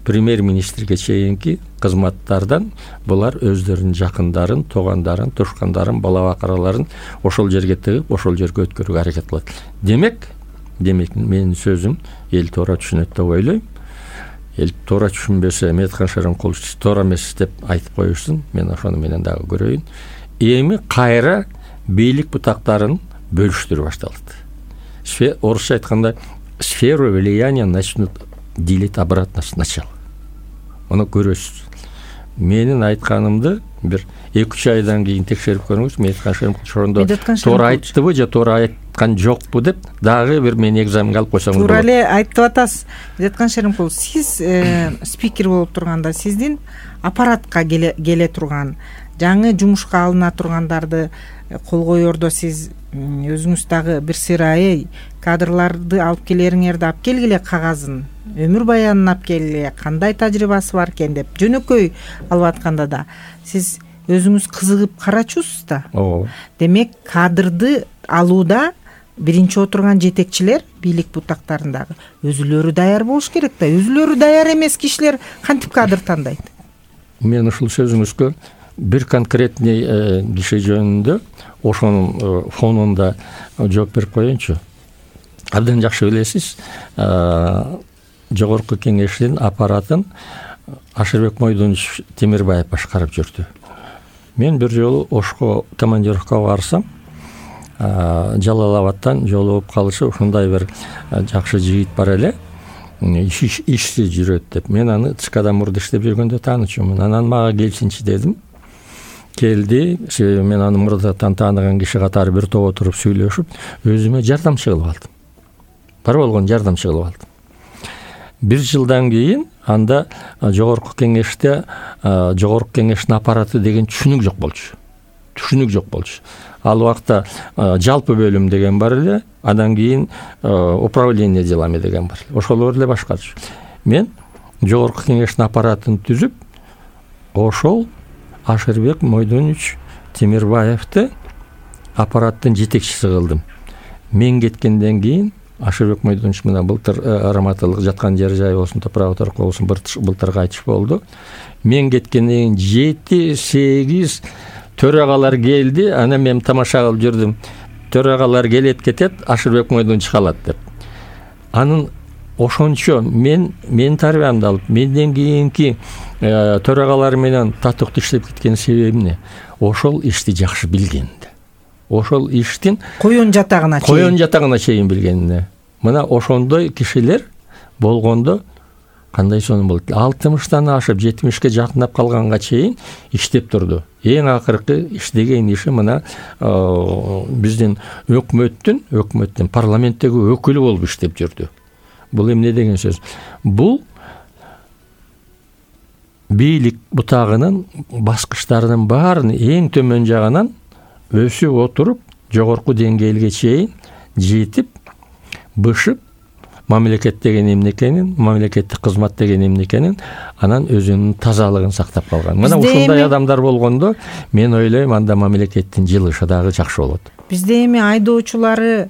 премьер-министрге чейинки кызматтардан булар өздөрүнүн жакындарын, туугандарын, тушкандарын, бала бакыраларын ошол жерге тыгып, ошол жерге өткөрүүгө аракет кылат. Демек менин сөзүм эл туура түшүнөт деп ойлойм. Эл туура түшүнбөсө, Медеткан Шеримкулович туура эмес деп айтып коюшсун, мен ошону менен дагы көрөйүн. Эми кайра бийлик бутактарын бөлүштүрүп башталат. Орусча айтканда, сферу влияния начнут делить обратно сначала. Муну көрөсүз. Менин айтканымды бир 2-3 айдан кийин текшерип көрүңүз. Медеткан Шеримкулович ошондо туура айттыбы же туура айткан жокпу деп дагы бир мени экзаменге алып койсоңуз болот. Туура эле айтып атасыз. Медеткан Шеримкулович, сиз спикер болуп турганда сиздин аппаратка келе турган, жаңы жумушка алына тургандарды колгоердо сиз өзүңүз дагы бир сырайы кадрларды алып келериңерди алып келгиле, кагазын, өмүр баянын алып келгиле, кандай тажрыйбасы бар экен деп жөнөкөй алып атканда да сиз өзүңүз кызыгып карачусуз да. Демек кадрды алууда биринчи отурган жетекчилер бийлик бутактарындагы өзүлөрү даяр болуш керек да. Өзүлөрү даяр эмес кишилер кантип кадр тандайт? Мен ушул сөзүңүзгө бир конкретный киши жөнүндө ошонун фонунда жооп берип коеюнчу. Абдан жакшы билесиз, жогорку кеңештин аппаратын Ашырбек Мойдонович Темирбаев башкарып жүрдү. Мен бир жолу Ошко командировкага барсам, Жалал-Абадтан жолугуп калышы, ушундай бир жакшы жигит бар эле, ишсиз жүрөт деп. Мен аны ЦКда мурда иштеп жүргөндө таанычумун. Анан мага келсинчи дедим. Келди, мен аны мурдатан тааныган киши катары бир топ отуруп сүйлөшүп, өзүмө жардамчы кылып алдым. Бар болгон жардамчы кылып алдым. 1 жылдан кийин анда жогорку кеңештин аппараты деген түшүнүк жок болчу. Ал убакта жалпы бөлүм деген бар эле, андан кийин управление делами деген бар эле. Ошолор эле башкарчу. Мен жогорку кеңештин аппаратын түзүп, ошол Ашырбек Мойдонович Темирбаевди аппараттын жетекчиси кылдым. Мен кеткенден кийин Ашырбек Мойдонович мына былтыр раматылык жаткан жер жай болсун, топурак болсун, былтыр кайтыш болду. Мен кеткенден кийин 7-8 төрагалар келди. Анан мен тамаша кылып жүрдүм. Төрагалар келет кетет, Ашырбек Мойдонович калат деп. Анын ошончо мен тарбиямды алып, менден кийинки төрагалар менен татыктуу иштеп кеткен себебим эмне? Ошол ишти жакшы билгенде. Ошол иштин коюн жатагына чейин билгенине. Мына ошондой кишилер болгондо кандай сонун болот? 60-тан ашып 70-ке жакындап калганга чейин иштеп турду. Эң акыркы иштеген иши мына биздин өкмөттүн парламенттеги өкүлү болуп иштеп жүрдү. Бул эмне деген сөз? Бул бийлик бутагынын баскычтарынын баарын эң төмөн жагынан өсүп отуруп, жогорку деңгээлге чейин жетип, бышып, мамлекет деген эмне экенин, мамлекеттик кызмат деген эмне экенин, анан өзүнүн тазалыгын сактап калган. Мына ушундай адамдар болгондо, мен ойлойм, анда мамлекеттин жылышы дагы жакшы болот. Бизде эми айдоочулары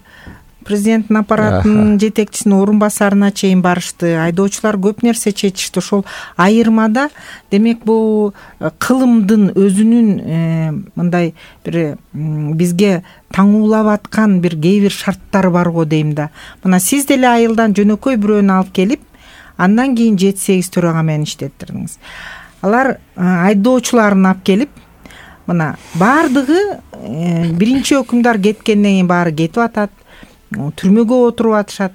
президенттин аппаратынын жетекчисинин орун басарына чейин барышты. Айдоочулар көп нерсе чечишти. Ошол айырмада демек бул кылымдын өзүнүн мындай бир бизге таңуулап аткан бир кээ бир шарттары бар го дейм да. Мына сиз деле айылдан жөнөкөй бирөөнү алып келип, андан кийин 7-8 төрага менен иштеттирдиңиз. Алар айдоочуларын алып келип, мына баардыгы биринчи өкүмдар кеткенден кийин баары кетип атат. Түрмөгө отуруп атышат.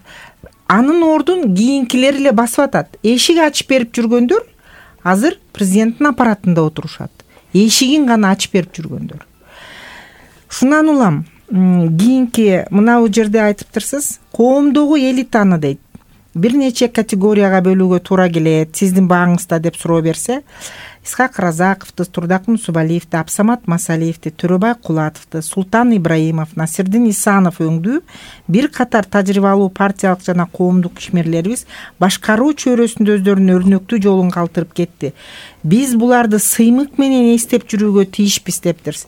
Анын ордун кийинкилер эле басып атат. Эшик ачып берип жүргөндөр азыр президенттин аппаратында отурушат. Эшигин гана ачып берип жүргөндөр. Шунан улам, кийинки мына бул жерде айтыптырсыз, коомдогу элитаны дейт. Бир нече категорияга бөлүүгө туура келет, сиздин бааңызда деп суроо берсе, Исхак Разаковду, Турдак Мусубалиевди, Абсамат Масалиевди, Төрөбай Кулатовду, Султан Ибраимов, Насирдин Исанов өңдүү бир катар тажрыйбалуу партиялык жана коомдук ишмерлерибиз башкаруу чөйрөсүндө өздөрүнүн өрнөктүү жолун калтырып кетти. Биз буларды сыймык менен эстеп жүрүүгө тийишпиз дептирсиз.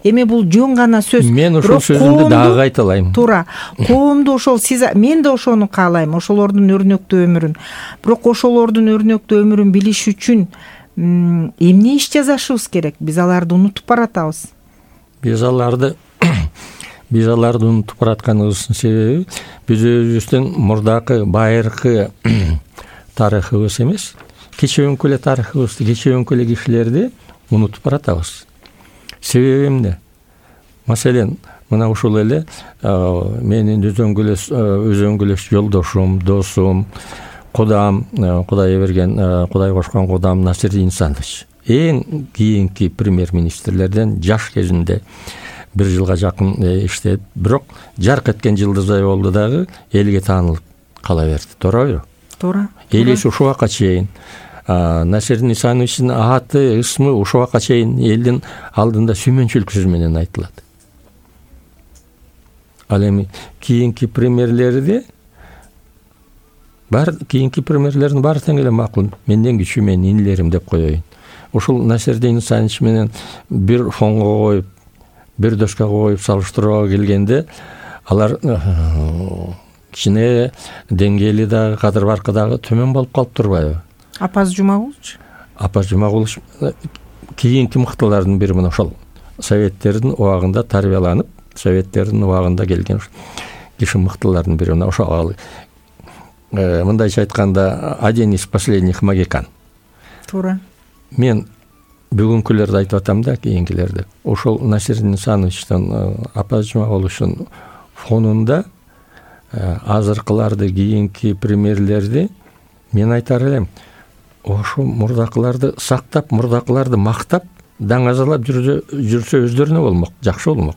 Эми бул жөн гана сөз. Мен ошол сөзүмдү дагы кайталайм. Туура. Коомду ошол мен да ошону каалайм, ошолордун өрнөктүү өмүрүн. Бирок ошолордун өрнөктүү өмүрүн билиш үчүн эмне иш жасашыбыз керек? Биз аларды унутуп баратабыз. Биз аларды унутуп баратканыбыздын себеби биз өзүбүздүн мурдакы байыркы тарыхыбыз эмес, кечеөнкү эле тарыхыбызды, кечеөнкү эле кишилерди унутуп баратабыз. Себеби эмне? Маселен, мына ушул эле менин өзөңгүлөш жолдошум, досум, кудам, Кудай берген, Кудай кошкон кудам Насирдин Исанович эң кийинки премьер-министрлерден жаш кезинде 1 жылга жакын иштеп, бирок жарк эткен жылдыздай болду дагы элге таанылып кала берди. Туурабы? Туура. Элиси ушул убакка чейин Насирдин Исановичтин аты, ысмы ушул убакка чейин элдин алдында сүймөнчүлүк сөз менен айтылат. Ал эми кийинки премьерлердин баары тең эле макул, менден кичүү менин инилерим деп коеюн. Ушул Насирдин Исанович менен бир фонго коюп, бир доска коюп салыштырууга келгенде, алар кичине деңгээли дагы, кадыр баркы дагы төмөн болуп калып турбайбы? Апаз Жумагулович кийинки мыктылардын бири, мына ошол советтердин убагында тарбияланып, советтердин убагында келген киши мыктылардын бири. Мына ошол мындайча айтканда один из последних магикан. Туура. Мен бүгүнкүлөрдү айтып атам да, кийинкилерди. Ошол Насирдин Исановичтин, Апаз Жумагуловичтин фонунда азыркыларды, кийинки премьерлерди мен айтар элем, ошо мурдакыларды сактап, мурдакыларды мактап, даңазалап жүрсө өздөрүнө болмок, жакшы болмок.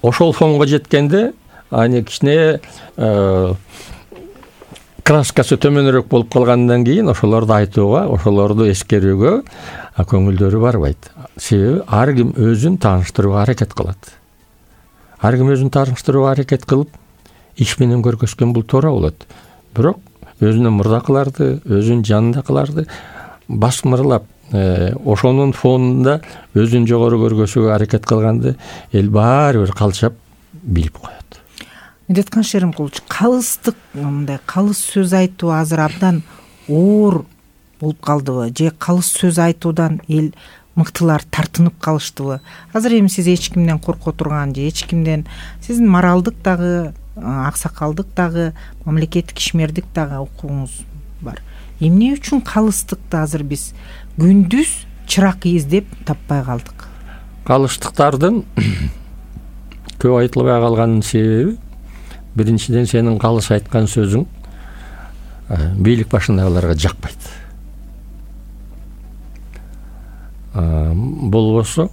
Ошол фонго жеткенде, аны кичине краскасы төмөнүрөөк болуп калгандан кийин ошолорду айтууга, ошолорду эскерүүгө көңүлдөрү барбайт. Себеби ар ким өзүн тааныштырууга аракет кылат. Ар ким өзүн тааныштырууга аракет кылып, иш менен көргөзгөн бул туура болот. Бирок өзүнүн мурдакыларды, өзүнүн жанындакыларды басмырлап, ошонун фонунда өзүн жогору көргөзүүгө аракет кылганды эл баары бир калчап билип коет. Медеткан Шеримкулович, калыстык, мындай калыс сөз айтуу азыр абдан оор болуп калдыбы? Же калыс сөз айтуудан эл мыктылар тартынып калыштыбы? Азыр эми сиз эч кимден корко турган же эч кимден, сиздин моралдык дагы, аксакалдык дагы, мамлекеттик ишмердик дагы укугуңуз бар. Эмне үчүн калыстыкты азыр биз күндүз чырак издеп таппай калдык? Калыстыктардын көп айтылбай калганын себеби, биринчиден сенин калыс айткан сөзүң бийлик башындагыларга жакпайт. Болбосо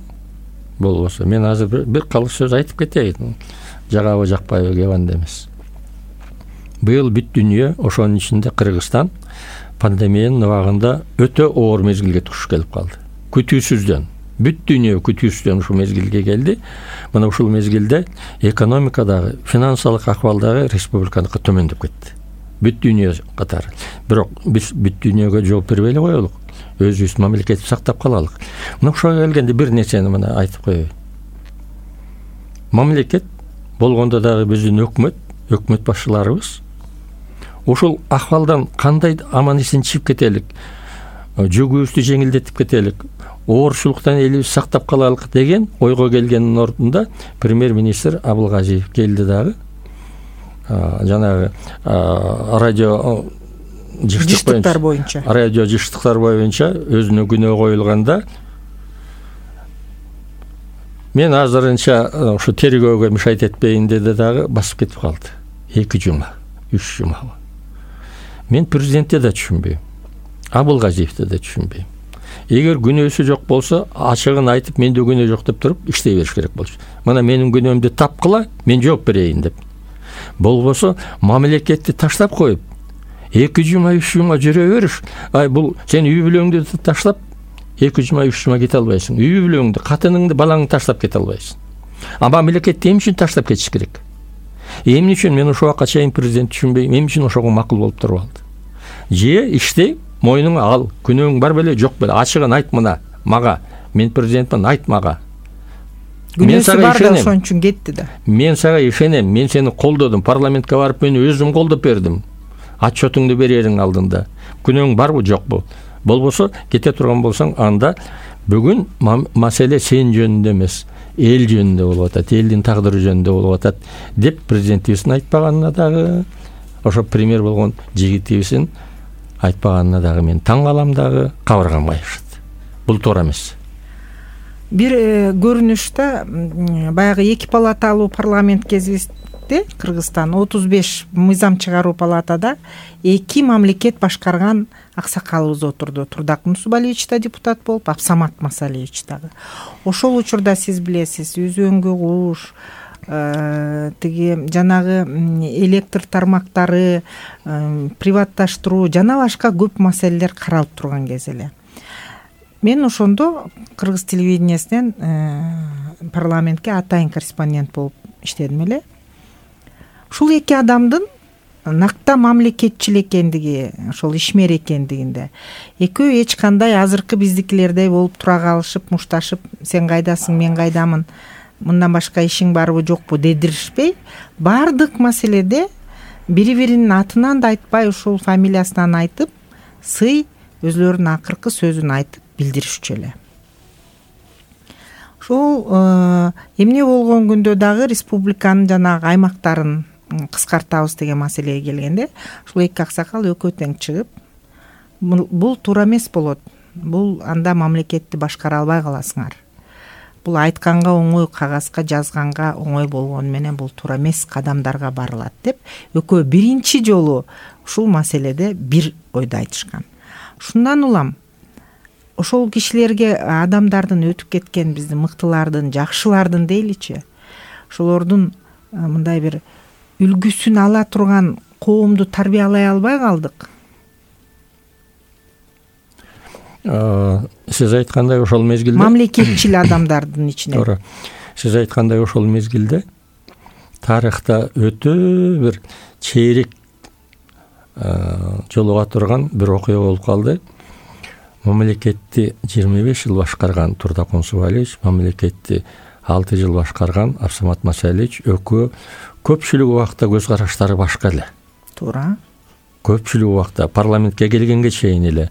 мен азыр бир калыс сөз айтып кетейин. Жагабы жакпайбы кебанда эмес. Быйыл бүт дүйнө, ошонун ичинде Кыргызстан пандемиянын убагында өтө оор мезгилге туш келип калды. Күтүүсүздөн, бүт дүйнө күтүүсүздөн ушул мезгилге келди. Мына ушул мезгилде экономикадагы, финансылык акыбалдагы республиканыкы төмөндөп кетти. Бүт дүйнө катары. Бирок биз бүт дүйнөгө жооп бербей эле коелук. Өзүбүз мамлекетти сактап калалык. Мына ошого келгенде бир нерсени мына айтып коеюн. Мамлекет болгондо дагы биздин өкмөт башчыларыбыз ушул акыбалдан кандай аман-эсен чыгып кетелик, жүгүбүздү жеңилдетип кетелик, оорчулуктан элибиз сактап калалык деген ойго келгенин ордунда премьер-министр Абылгазиев келди дагы. Жанагы радио жыштыктар боюнча өзүнө күнөө коюлганда мен азырынча ушу тергөөгө мешайт этпейин деди дагы басып кетип калды. 2 жума, 3 жума. Мен президентте да түшүнбөйм, Абылгазиевте да түшүнбөйм. Эгер күнөөсү жок болсо, ачыгын айтып, менде күнөө жок деп туруп иштей бериш керек болчу. Мына менин күнөөмдү тапкыла, мен жооп берейин деп. Болбосо мамлекетти таштап коюп, 2 жума, 3 жума жүрө бериш. Бул сен үй бүлөңдү таштап, 2 жума 3 жума кете албайсың. Үй бүлөңдү, катыныңды, балаңды таштап кете албайсың. Мамлекетти эмне үчүн таштап кетиш керек? Эмне үчүн мен ошол убакка чейин президент түшүнбөйм, эмне үчүн ошого макул болуп туруп алды? Же иштей, мойнуңа ал, күнөөң бар беле, жок беле, ачыгын айт мына мага. Мен президентмин, айт мага. Күнөөсү бар да ошон үчүн кетти да. Мен сага ишенем, мен сени колдодум, парламентке барып мени өзүм колдоп бердим. Отчетуңду берериң алдында. Күнөөң барбы, жокпу? Болбосо кете турган болсоң, анда бүгүн маселе сен жөнүндө эмес, эл жөнүндө болуп атат, элдин тагдыры жөнүндө болуп атат деп президентибиздин айтпаганына дагы, ошо премьер болгон жигитибиздин айтпаганына дагы мен таң калам дагы, кабыргам кайышат. Бул туура эмес. Бир көрүнүштө баягы 2 палаталуу парламент кезинде Кыргызстан 35 мыйзам чыгаруу палатада 2 мамлекет башкарган аксакалыбыз отурду. Турдак Мусубалиевич да депутат болуп, Абсамат Масалиевич дагы. Ошол учурда сиз билесиз, Үзөңгү куш, тиги жанагы электр тармактары, приватташтыруу жана башка көп маселелер каралып турган кез эле. Мен ошондо кыргыз телевидениясынан парламентке атайын корреспондент болуп иштедим эле. Ушул 2 адамдын накта мамлекетчил экендиги, ошол ишмер экендигинде экөө эч кандай азыркы биздикилердей болуп тура калышып, мушташып, сен кайдасың, мен кайдамын, мындан башка ишиң барбы, жокпу дедиришпей, бардык маселеде бири-биринин атынан да айтпай, ушул фамилиясынан айтып, сый өзлөрүнүн акыркы сөзүн айтып билдиришчү эле. Ошол эмне болгон күндө дагы республиканын жанагы аймактарын кыскартабыз деген маселеге келгенде, ушул 2 аксакал экөө тең чыгып, бул туура эмес болот. Бул анда мамлекетти башкара албай каласыңар. Бул айтканга оңой, кагазга жазганга оңой болгону менен бул туура эмес кадамдарга барылат деп, экөө биринчи жолу ушул маселеде бир ойду айтышкан. Шундан улам ошол кишилерге, адамдардын өтүп кеткен, биздин мыктылардын, жакшылардын дейличи, ошолордун мындай бир үлгүсүн ала турган коомду тарбиялай албай калдык. Сиз айткандай ошол мезгилде мамлекетчил адамдардын ичинен. Туура. Сиз айткандай ошол мезгилде тарыхта өтө бир чейрек жолуга турган бир окуя болуп калды. Мамлекетти 25 жыл башкарган Турдак Мусубалиевич, мамлекетти 6 жыл башкарган Абсамат Масалиевич экөө көпчүлүк убакта көз караштары башка эле. Туура. Көпчүлүк убакта парламентке келгенге чейин эле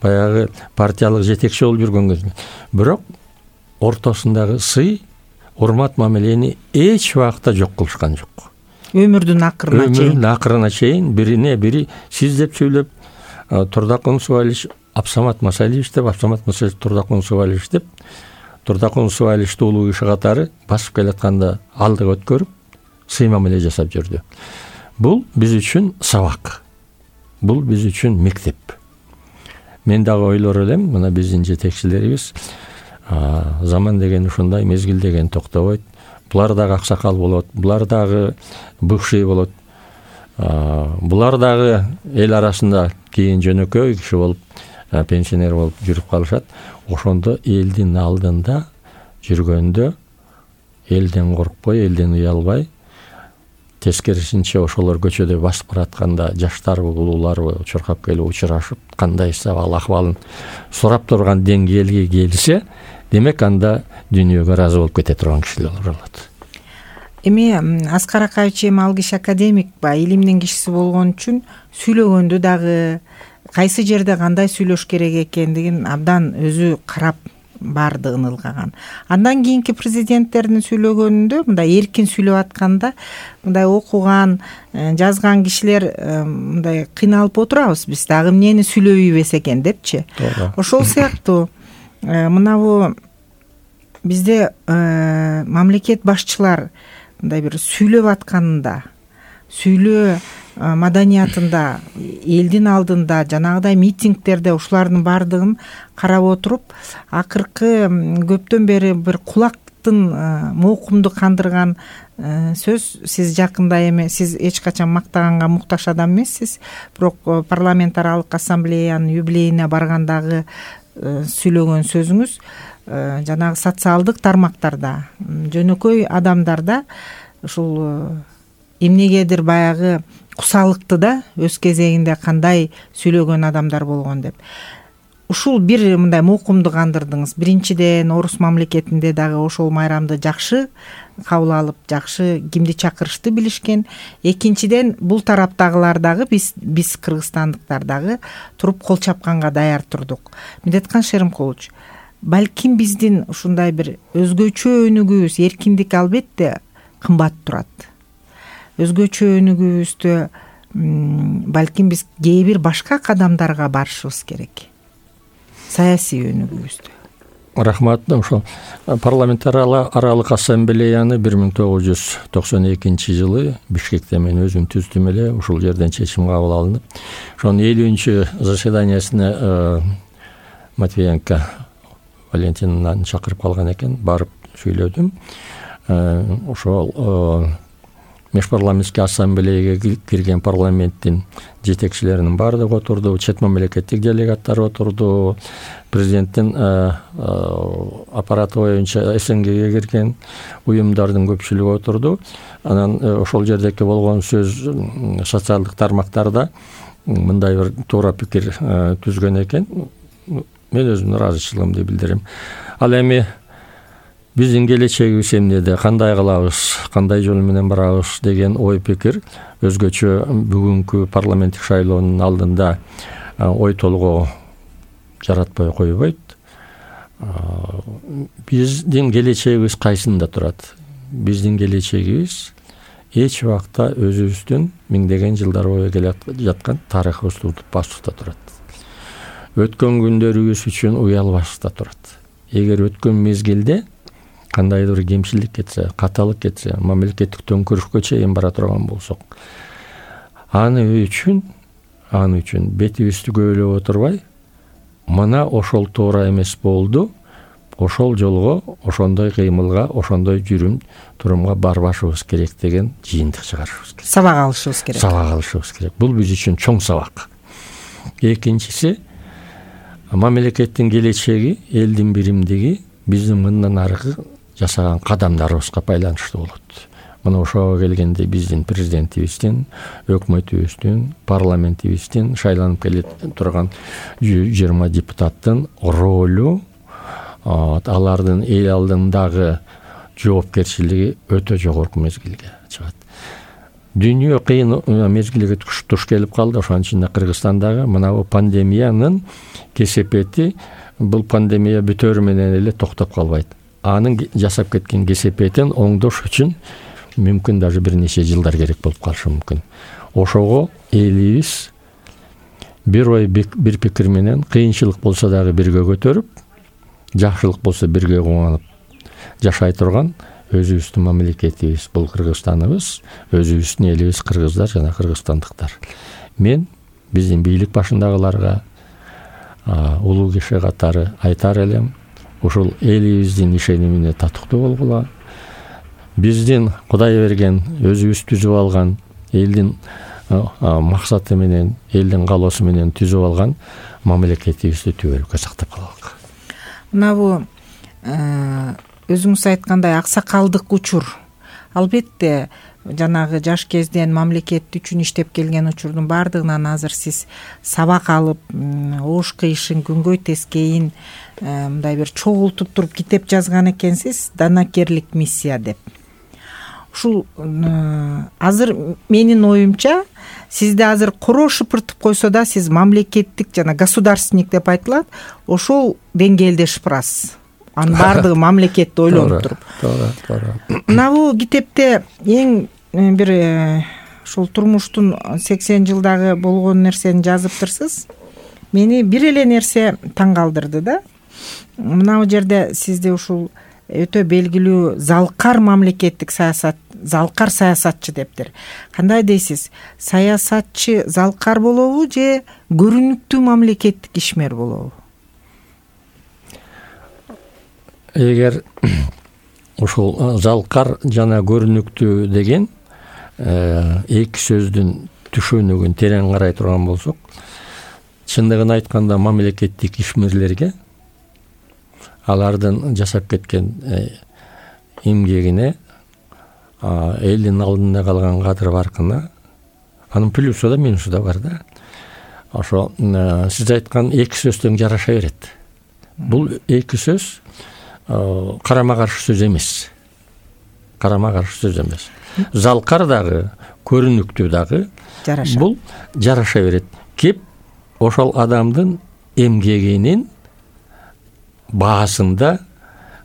баягы партиялык жетекчи болуп жүргөнгө, бирок ортосундагы сый, урмат мамилени эч убакта жок кылышкан жок. Өмүрдүн акырына чейин бирине бири сиз деп сүйлөп, Турдак Мусубалиевич Абсамат Масалиевич деп, Абсамат Масалиевич Турдак Мусубалиевич деп, Турдак Мусубалиевичти улуу киши катары басып келатканда алдыга өткөрүп, сый мамиле жасап жүрдү. Бул биз үчүн сабак. Бул биз үчүн мектеп. Мен дагы ойлор элем, мына биздин жетекчилерибиз заман деген ушундай, мезгил деген токтобойт. Булар дагы аксакал болот, булар дагы бывший болот. Булар дагы эл арасында кийин жөнөкөй киши болуп, пенсионер болуп жүрүп калышат. Ошондо элдин алдында жүргөндө элден коркпой, элден уялбай, тескерисинче ошолор көчөдө басып баратканда жаштарбы, улууларбы чуркап келип учурашып, кандай акыбалын сурап турган деңгээлге келсе, демек анда дүйнөгө ыраазы болуп кете турган кишилер болот. Эми Аскар Акаевич ал киши академик ба, илимдин кишиси болгон үчүн сүйлөгөндө дагы кайсы жерде кандай сүйлөш керек экендигин абдан өзү карап барды, ынылгаган. Андан кийинки президенттердин сүйлөгөнүндө мындай эркин сүйлөп атканда, мындай окуган, жазган кишилер мындай кыйналып отурабыз, биз дагы эмнени сүйлөбөйбүз экен депчи. Ошол сыяктуу мынабу бизде мамлекет башчылар мындай бир сүйлөп атканында, сүйлөө маданиятында, элдин алдында, жанагыдай митингдерде ушулардын бардыгын карап отуруп, акыркы көптөн бери бир кулактын моокумду кандырган сөз, сиз жакында эми, сиз эч качан мактаганга муктаж адам эмессиз, бирок парламент аралык ассамблеянын юбилейине баргандагы сүйлөгөн сөзүңүз жанагы социалдык тармактарда, жөнөкөй адамдарда ушул эмнегедир баягы кусалыкты да өз кезегинде кандай сүйлөгөн адамдар болгон деп. Ушул бир мындай мукумду кандырдыңыз. Биринчиден, орус мамлекетинде дагы ошол майрамды жакшы кабыл алып, жакшы кимди чакырышты билишкен. Экинчиден, бул тараптагылар дагы биз кыргызстандыктар дагы туруп кол чапканга даяр турдук. Медеткан Шеримкулович, балким биздин ушундай бир өзгөчө өнүгүүбүз, эркиндик албетте кымбат турат. Өзгөчө өнүгүүбүздө балким биз кээ бир башка кадамдарга барышыбыз керек. Саясий өнүгүүбүздө. Рахмат. Ошо парламентаралык ассамблеяны 1992 жылы Бишкекте мен өзүм түздүм эле. Ушул жерден чечим кабыл алынып, ошонун 50-нчы заседаниясына Матвиенко Валентинаны чакырып калган экен. Барып сүйлөдүм. Ошол Межпарламенттик ассамблеяга кирген парламенттин жетекчилеринин баардыгы отурду, чет мамлекеттик делегаттар отурду, президенттин аппараты боюнча СНГге кирген уюмдардын көпчүлүгү отурду. Анан ошол жердеки болгон сөз социалдык тармактарда мындай бир туура пикир түзгөн экен. Мен өзүмдүн ыраазычылыгымды билдирем. Ал эми биздин келечегибиз эмнеде, кандай кылабыз, кандай жол менен барабыз деген ой пикир өзгөчө бүгүнкү парламенттик шайлоонун алдында ой толгоо жаратпай койбойт. Биздин келечегибиз кайсында турат? Биздин келечегибиз эч убакта өзүбүздүн миңдеген жылдар бою келе жаткан тарыхыбызды унутпаспыкта турат. Өткөн күндөрүбүз үчүн уялбаспыкта турат. Эгер өткөн мезгилде кандайдыр бир кемчилик кетсе, каталык кетсе, мамлекеттик төңкөрүшкө чейин бара турган болсок, аны үчүн бетибизди көйлөп отурбай, мына ошол туура эмес болду, ошол жолго, ошондой кыймылга, ошондой жүрүм-турумга барбашыбыз керек деген жыйынтык чыгарышыбыз керек. Сабак алышыбыз керек. Сабак алышыбыз керек. Бул биз үчүн чоң сабак. Экинчиси, мамлекеттин келечеги, элдин биримдиги биздин мындан аркы жасаган кадамдарыбызга байланыштуу болот. Мына ошого келгенде биздин президентибиздин, өкмөтүбүздүн, парламентибиздин, шайланып келе турган 20 депутаттын ролу, алардын эл алдындагы жоопкерчилиги өтө жогорку мезгилге чыгат. Дүйнө кыйын мезгилге туш келип калды. Ошонун ичинде Кыргызстандагы мына бул пандемиянын кесепети, бул пандемия бүтөрү менен эле токтоп калбайт. Анын жасап кеткен кесепетин оңдош үчүн мүмкүн даже бир нече жылдар керек болуп калышы мүмкүн. Ошого элибиз бир ой бир пикир менен кыйынчылык болсо дагы бирге көтөрүп, жакшылык болсо бирге кубанып жашай турган өзүбүздүн мамлекетибиз, бул Кыргызстаныбыз, өзүбүздүн элибиз кыргыздар жана кыргызстандыктар. Мен биздин бийлик башындагыларга, улуу киши катары айтар элем, ушул элибиздин ишенимине татыктуу болгула. Биздин Кудай берген, өзүбүз түзүп алган, элдин максаты менен, элдин каалоосу менен түзүп алган мамлекетибизди түбөлүккө сактап калалык. Мына бул өзүңүз айткандай аксакалдык учур. Албетте жанагы жаш кезден мамлекет үчүн иштеп келген учурдун баардыгынан азыр сиз сабак алып, ош кыйышын, күнгөй тескейин мындай бир чогултуп туруп китеп жазган экенсиз, данакерлик миссия деп. Ушул азыр менин оюмча, сизди азыр короо шыпыртып койсо да, сиз мамлекеттик жана государственник деп айтылат, ошол деңгээлде шыпырасыз. Анын баардыгы мамлекетти ойлонуп туруп. Туура. Мына бул китепте эң бир ушул турмуштун 80 жылдагы болгон нерсени жазыптырсыз. Мени бир эле нерсе таң калтырды да. Мына бул жерде сизди ушул өтө белгилүү залкар мамлекеттик саясат, залкар саясатчы дептир. Кандай дейсиз? Саясатчы залкар болобу же көрүнүктүү мамлекеттик ишмер болобу? Эгер ушул залкар жана көрүнүктүү деген эки сөздүн түшүнүгүн терең карай турган болсок, чындыгын айтканда мамлекеттик ишмерлерге алардын жашап кеткен эмгегине, элдин алдында калган кадыр баркына, анын плюсу да минусу да бар да. Ошо сиз айткан эки сөз тең жараша берет. Бул эки сөз карама каршы сөз эмес. Карама каршы сөз эмес. Залкар дагы, көрүнүктүү дагы бул жараша берет. Кеп ошол адамдын эмгегинин баасында,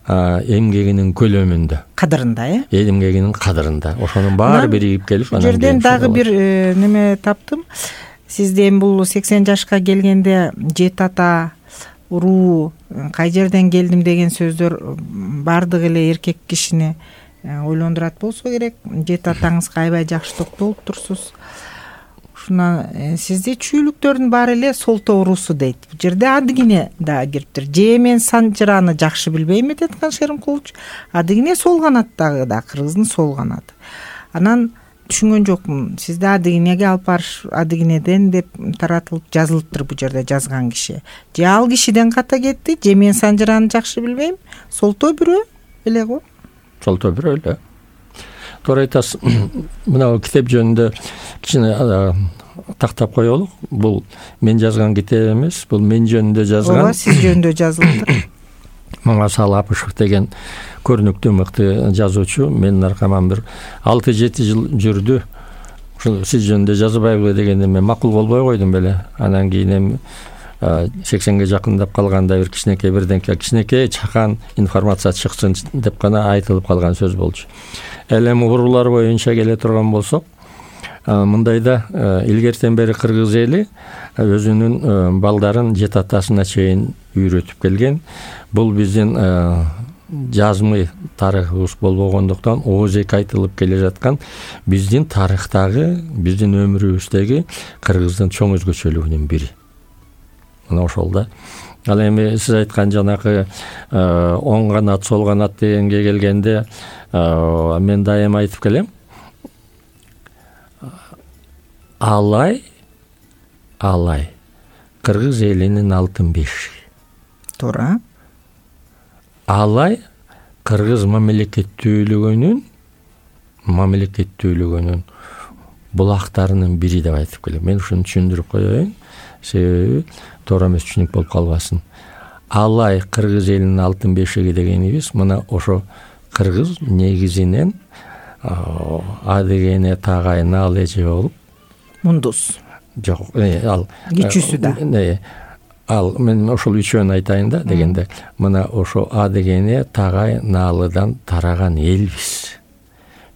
эмгегинин көлөмүндө, кадырында, эмгегинин кадырында. Ошонун баары биригип келип, анан жерден дагы бир неме таптым. Сизде бул 80 жашка келгенде жет ата, уруу, кай жерден келдим деген сөздөр бардыгы эле эркек кишини ойлондурат болсо керек. Жет атаңызга аябай жакшы токтолуп турсуз. Ушуна сизде чүйлүктөрдүн баары эле солто уруусу дейт. Бул жерде адыгине да кириптир. Же мен Санжыраны жакшы билбейм деп аткан Шеримкулович. Адыгине сол канаттагы да кыргыздын сол канаты. Анан түшүнгөн жокмун. Сизде адыгинеге алып барыш, адыгинеден деп таратылып жазылыптыр бул жерде жазган киши. Же ал кишиден ката кетти, же мен Санжыраны жакшы билбейм. Солто бирөө эле го. Солто бирөө эле. Туура айтасыз. Мына китеп жөнүндө кичине тактап коелук. Бул мен жазган китеп эмес, бул мен жөнүндө жазган. Ооба, сиз жөнүндө жазылыптыр. Мамасал Апышев деген көрүнүктүү мыкты жазуучу менин аркаман бир 6-7 жыл жүрдү. Ушул сиз жөнүндө жазбайбы дегенде мен макул болбой койдум беле. Анан кийин эми 80ге жакындап калганда бир кичинекей чакан информация чыксын деп гана айтылып калган сөз болчу. Эми уруулар боюнча келе турган болсок, мындайда илгертен бери кыргыз эли өзүнүн балдарын жет атасына чейин үйрөтүп келген. Бул биздин жазмый тарыхыбыз болбогондуктан ооздек айтылып келе жаткан биздин тарыхтагы, биздин өмүрүбүздөгү кыргыздын чоң өзгөчөлүгүнүн бири. Мына ошол да. Ал эми сиз айткан жанакы оң канат, сол канат дегенге келгенде мен дайыма айтып келем. Алай кыргыз элинин алтын бешиги. Туура. Алай кыргыз мамлекеттүүлүгүнүн булактарынын бири деп айтып келем. Мен ушуну түшүндүрүп коеюн, себеби туура эмес түшүнүк болуп калбасын. Алай кыргыз элинин алтын бешиги дегенибиз мына ошо кыргыз негизинен адегене тагай наал эже болуп мундус. Жок, ал кичүүсү да. Ал мен ошол үчөөнү айтайын да дегенде, мына ошо адегене тагай наалыдан тараган элбиз.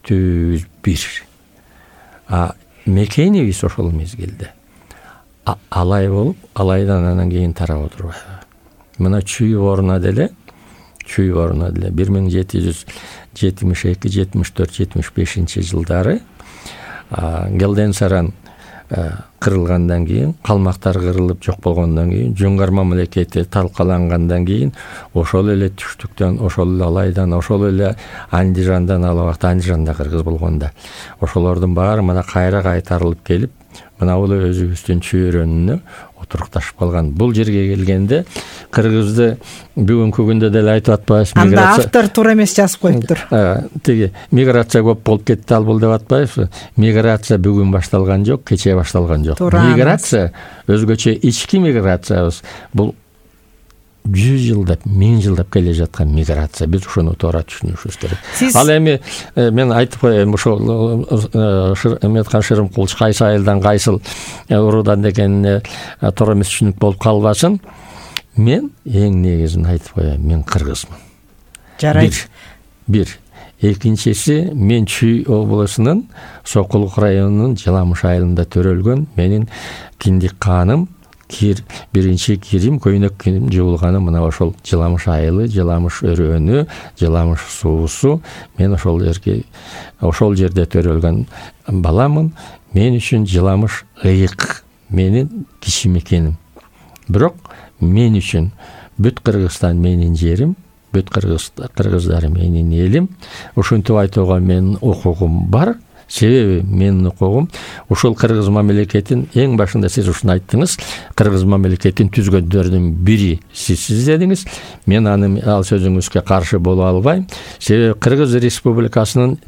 Түз бир. Мекенибиз ошол мезгилде алай болуп, алайдан анан кийин тарап отурбайбы. Мына Чүй Боруна деле 1772, 74, 75 жылдары Келден Саран кырылгандан кийин, калмактар кырылып жок болгондон кийин, Жоңгар мамлекети талкалангандан кийин ошол эле түштүктөн, ошол эле алайдан, ошол эле Андижандан, ал убакта Андижанда кыргыз болгонда ошолордун баары мына кайра кайтарылып келип, мына бул өзүбүздүн чөйрөнүнө отурукташып калган. Бул жерге келгенде кыргызды бүгүнкү күндө деле айтып атпайбыз. Анда автор туура эмес жазып коюптур. Тиги миграция көп болуп кетти, ал бул деп атпайбызбы? Миграция бүгүн башталган жок, кечээ башталган жок. Миграция өзгөчө ички миграциябыз. Бул 100 жылдап, 1000 жылдап келе жаткан миграция. Биз ушуну туура түшүнүшүбүз керек. Ал эми мен айтып коеюн, ошол Эметхан Шеримкулович кайсы айылдан, кайсыл уруудан дегенине туура эмес түшүнүк болуп калбасын. Мен эң негизин айтып коеюн, мен кыргызмын. Жарайт. Бир. Экинчиси, мен Чүй облусунун Сокулук районунун Жыламыш айылында төрөлгөн менин киндик кааным, биринчи кирим, көйнөк кийим жуулганым мына ошол Жыламыш айылы, Жыламыш өрөөнү, Жыламыш суусу. Мен ошол жерде төрөлгөн баламын. Мен үчүн Жыламыш ыйык, менин кичи мекеним. Бирок мен үчүн бүт Кыргызстан менин жерим, бүт кыргыздар менин элим. Ушинтип айтууга менин укугум бар, Себеби менин укугум ушул кыргыз мамлекетин эң башында сиз ушуну айттыңыз, кыргыз мамлекетин түзгөндөрдүн бири сиз дедиңиз. Мен ал сөзүңүзгө каршы боло албайм. Себеби Кыргыз Республикасынын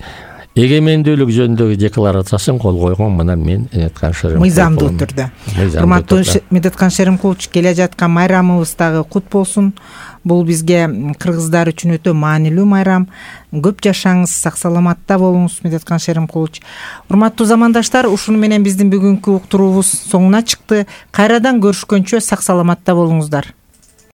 эгемендүүлүк жөнүндөгү декларациясын кол койгон мына мен Медеткан Шеримкулов. Мыйзамдуу түрдө. Урматтуу Медеткан Шеримкулович, келе жаткан майрамыбыз дагы кут болсун. Бул бизге кыргыздар үчүн өтө маанилүү майрам. Көп жашаңыз, сак саламатта болуңуз, Медеткан Шеримкулович. Урматтуу замандаштар, ушуну менен биздин бүгүнкү уктуруубуз соңуна чыкты. Кайрадан көрүшкөнчө сак саламатта болуңуздар.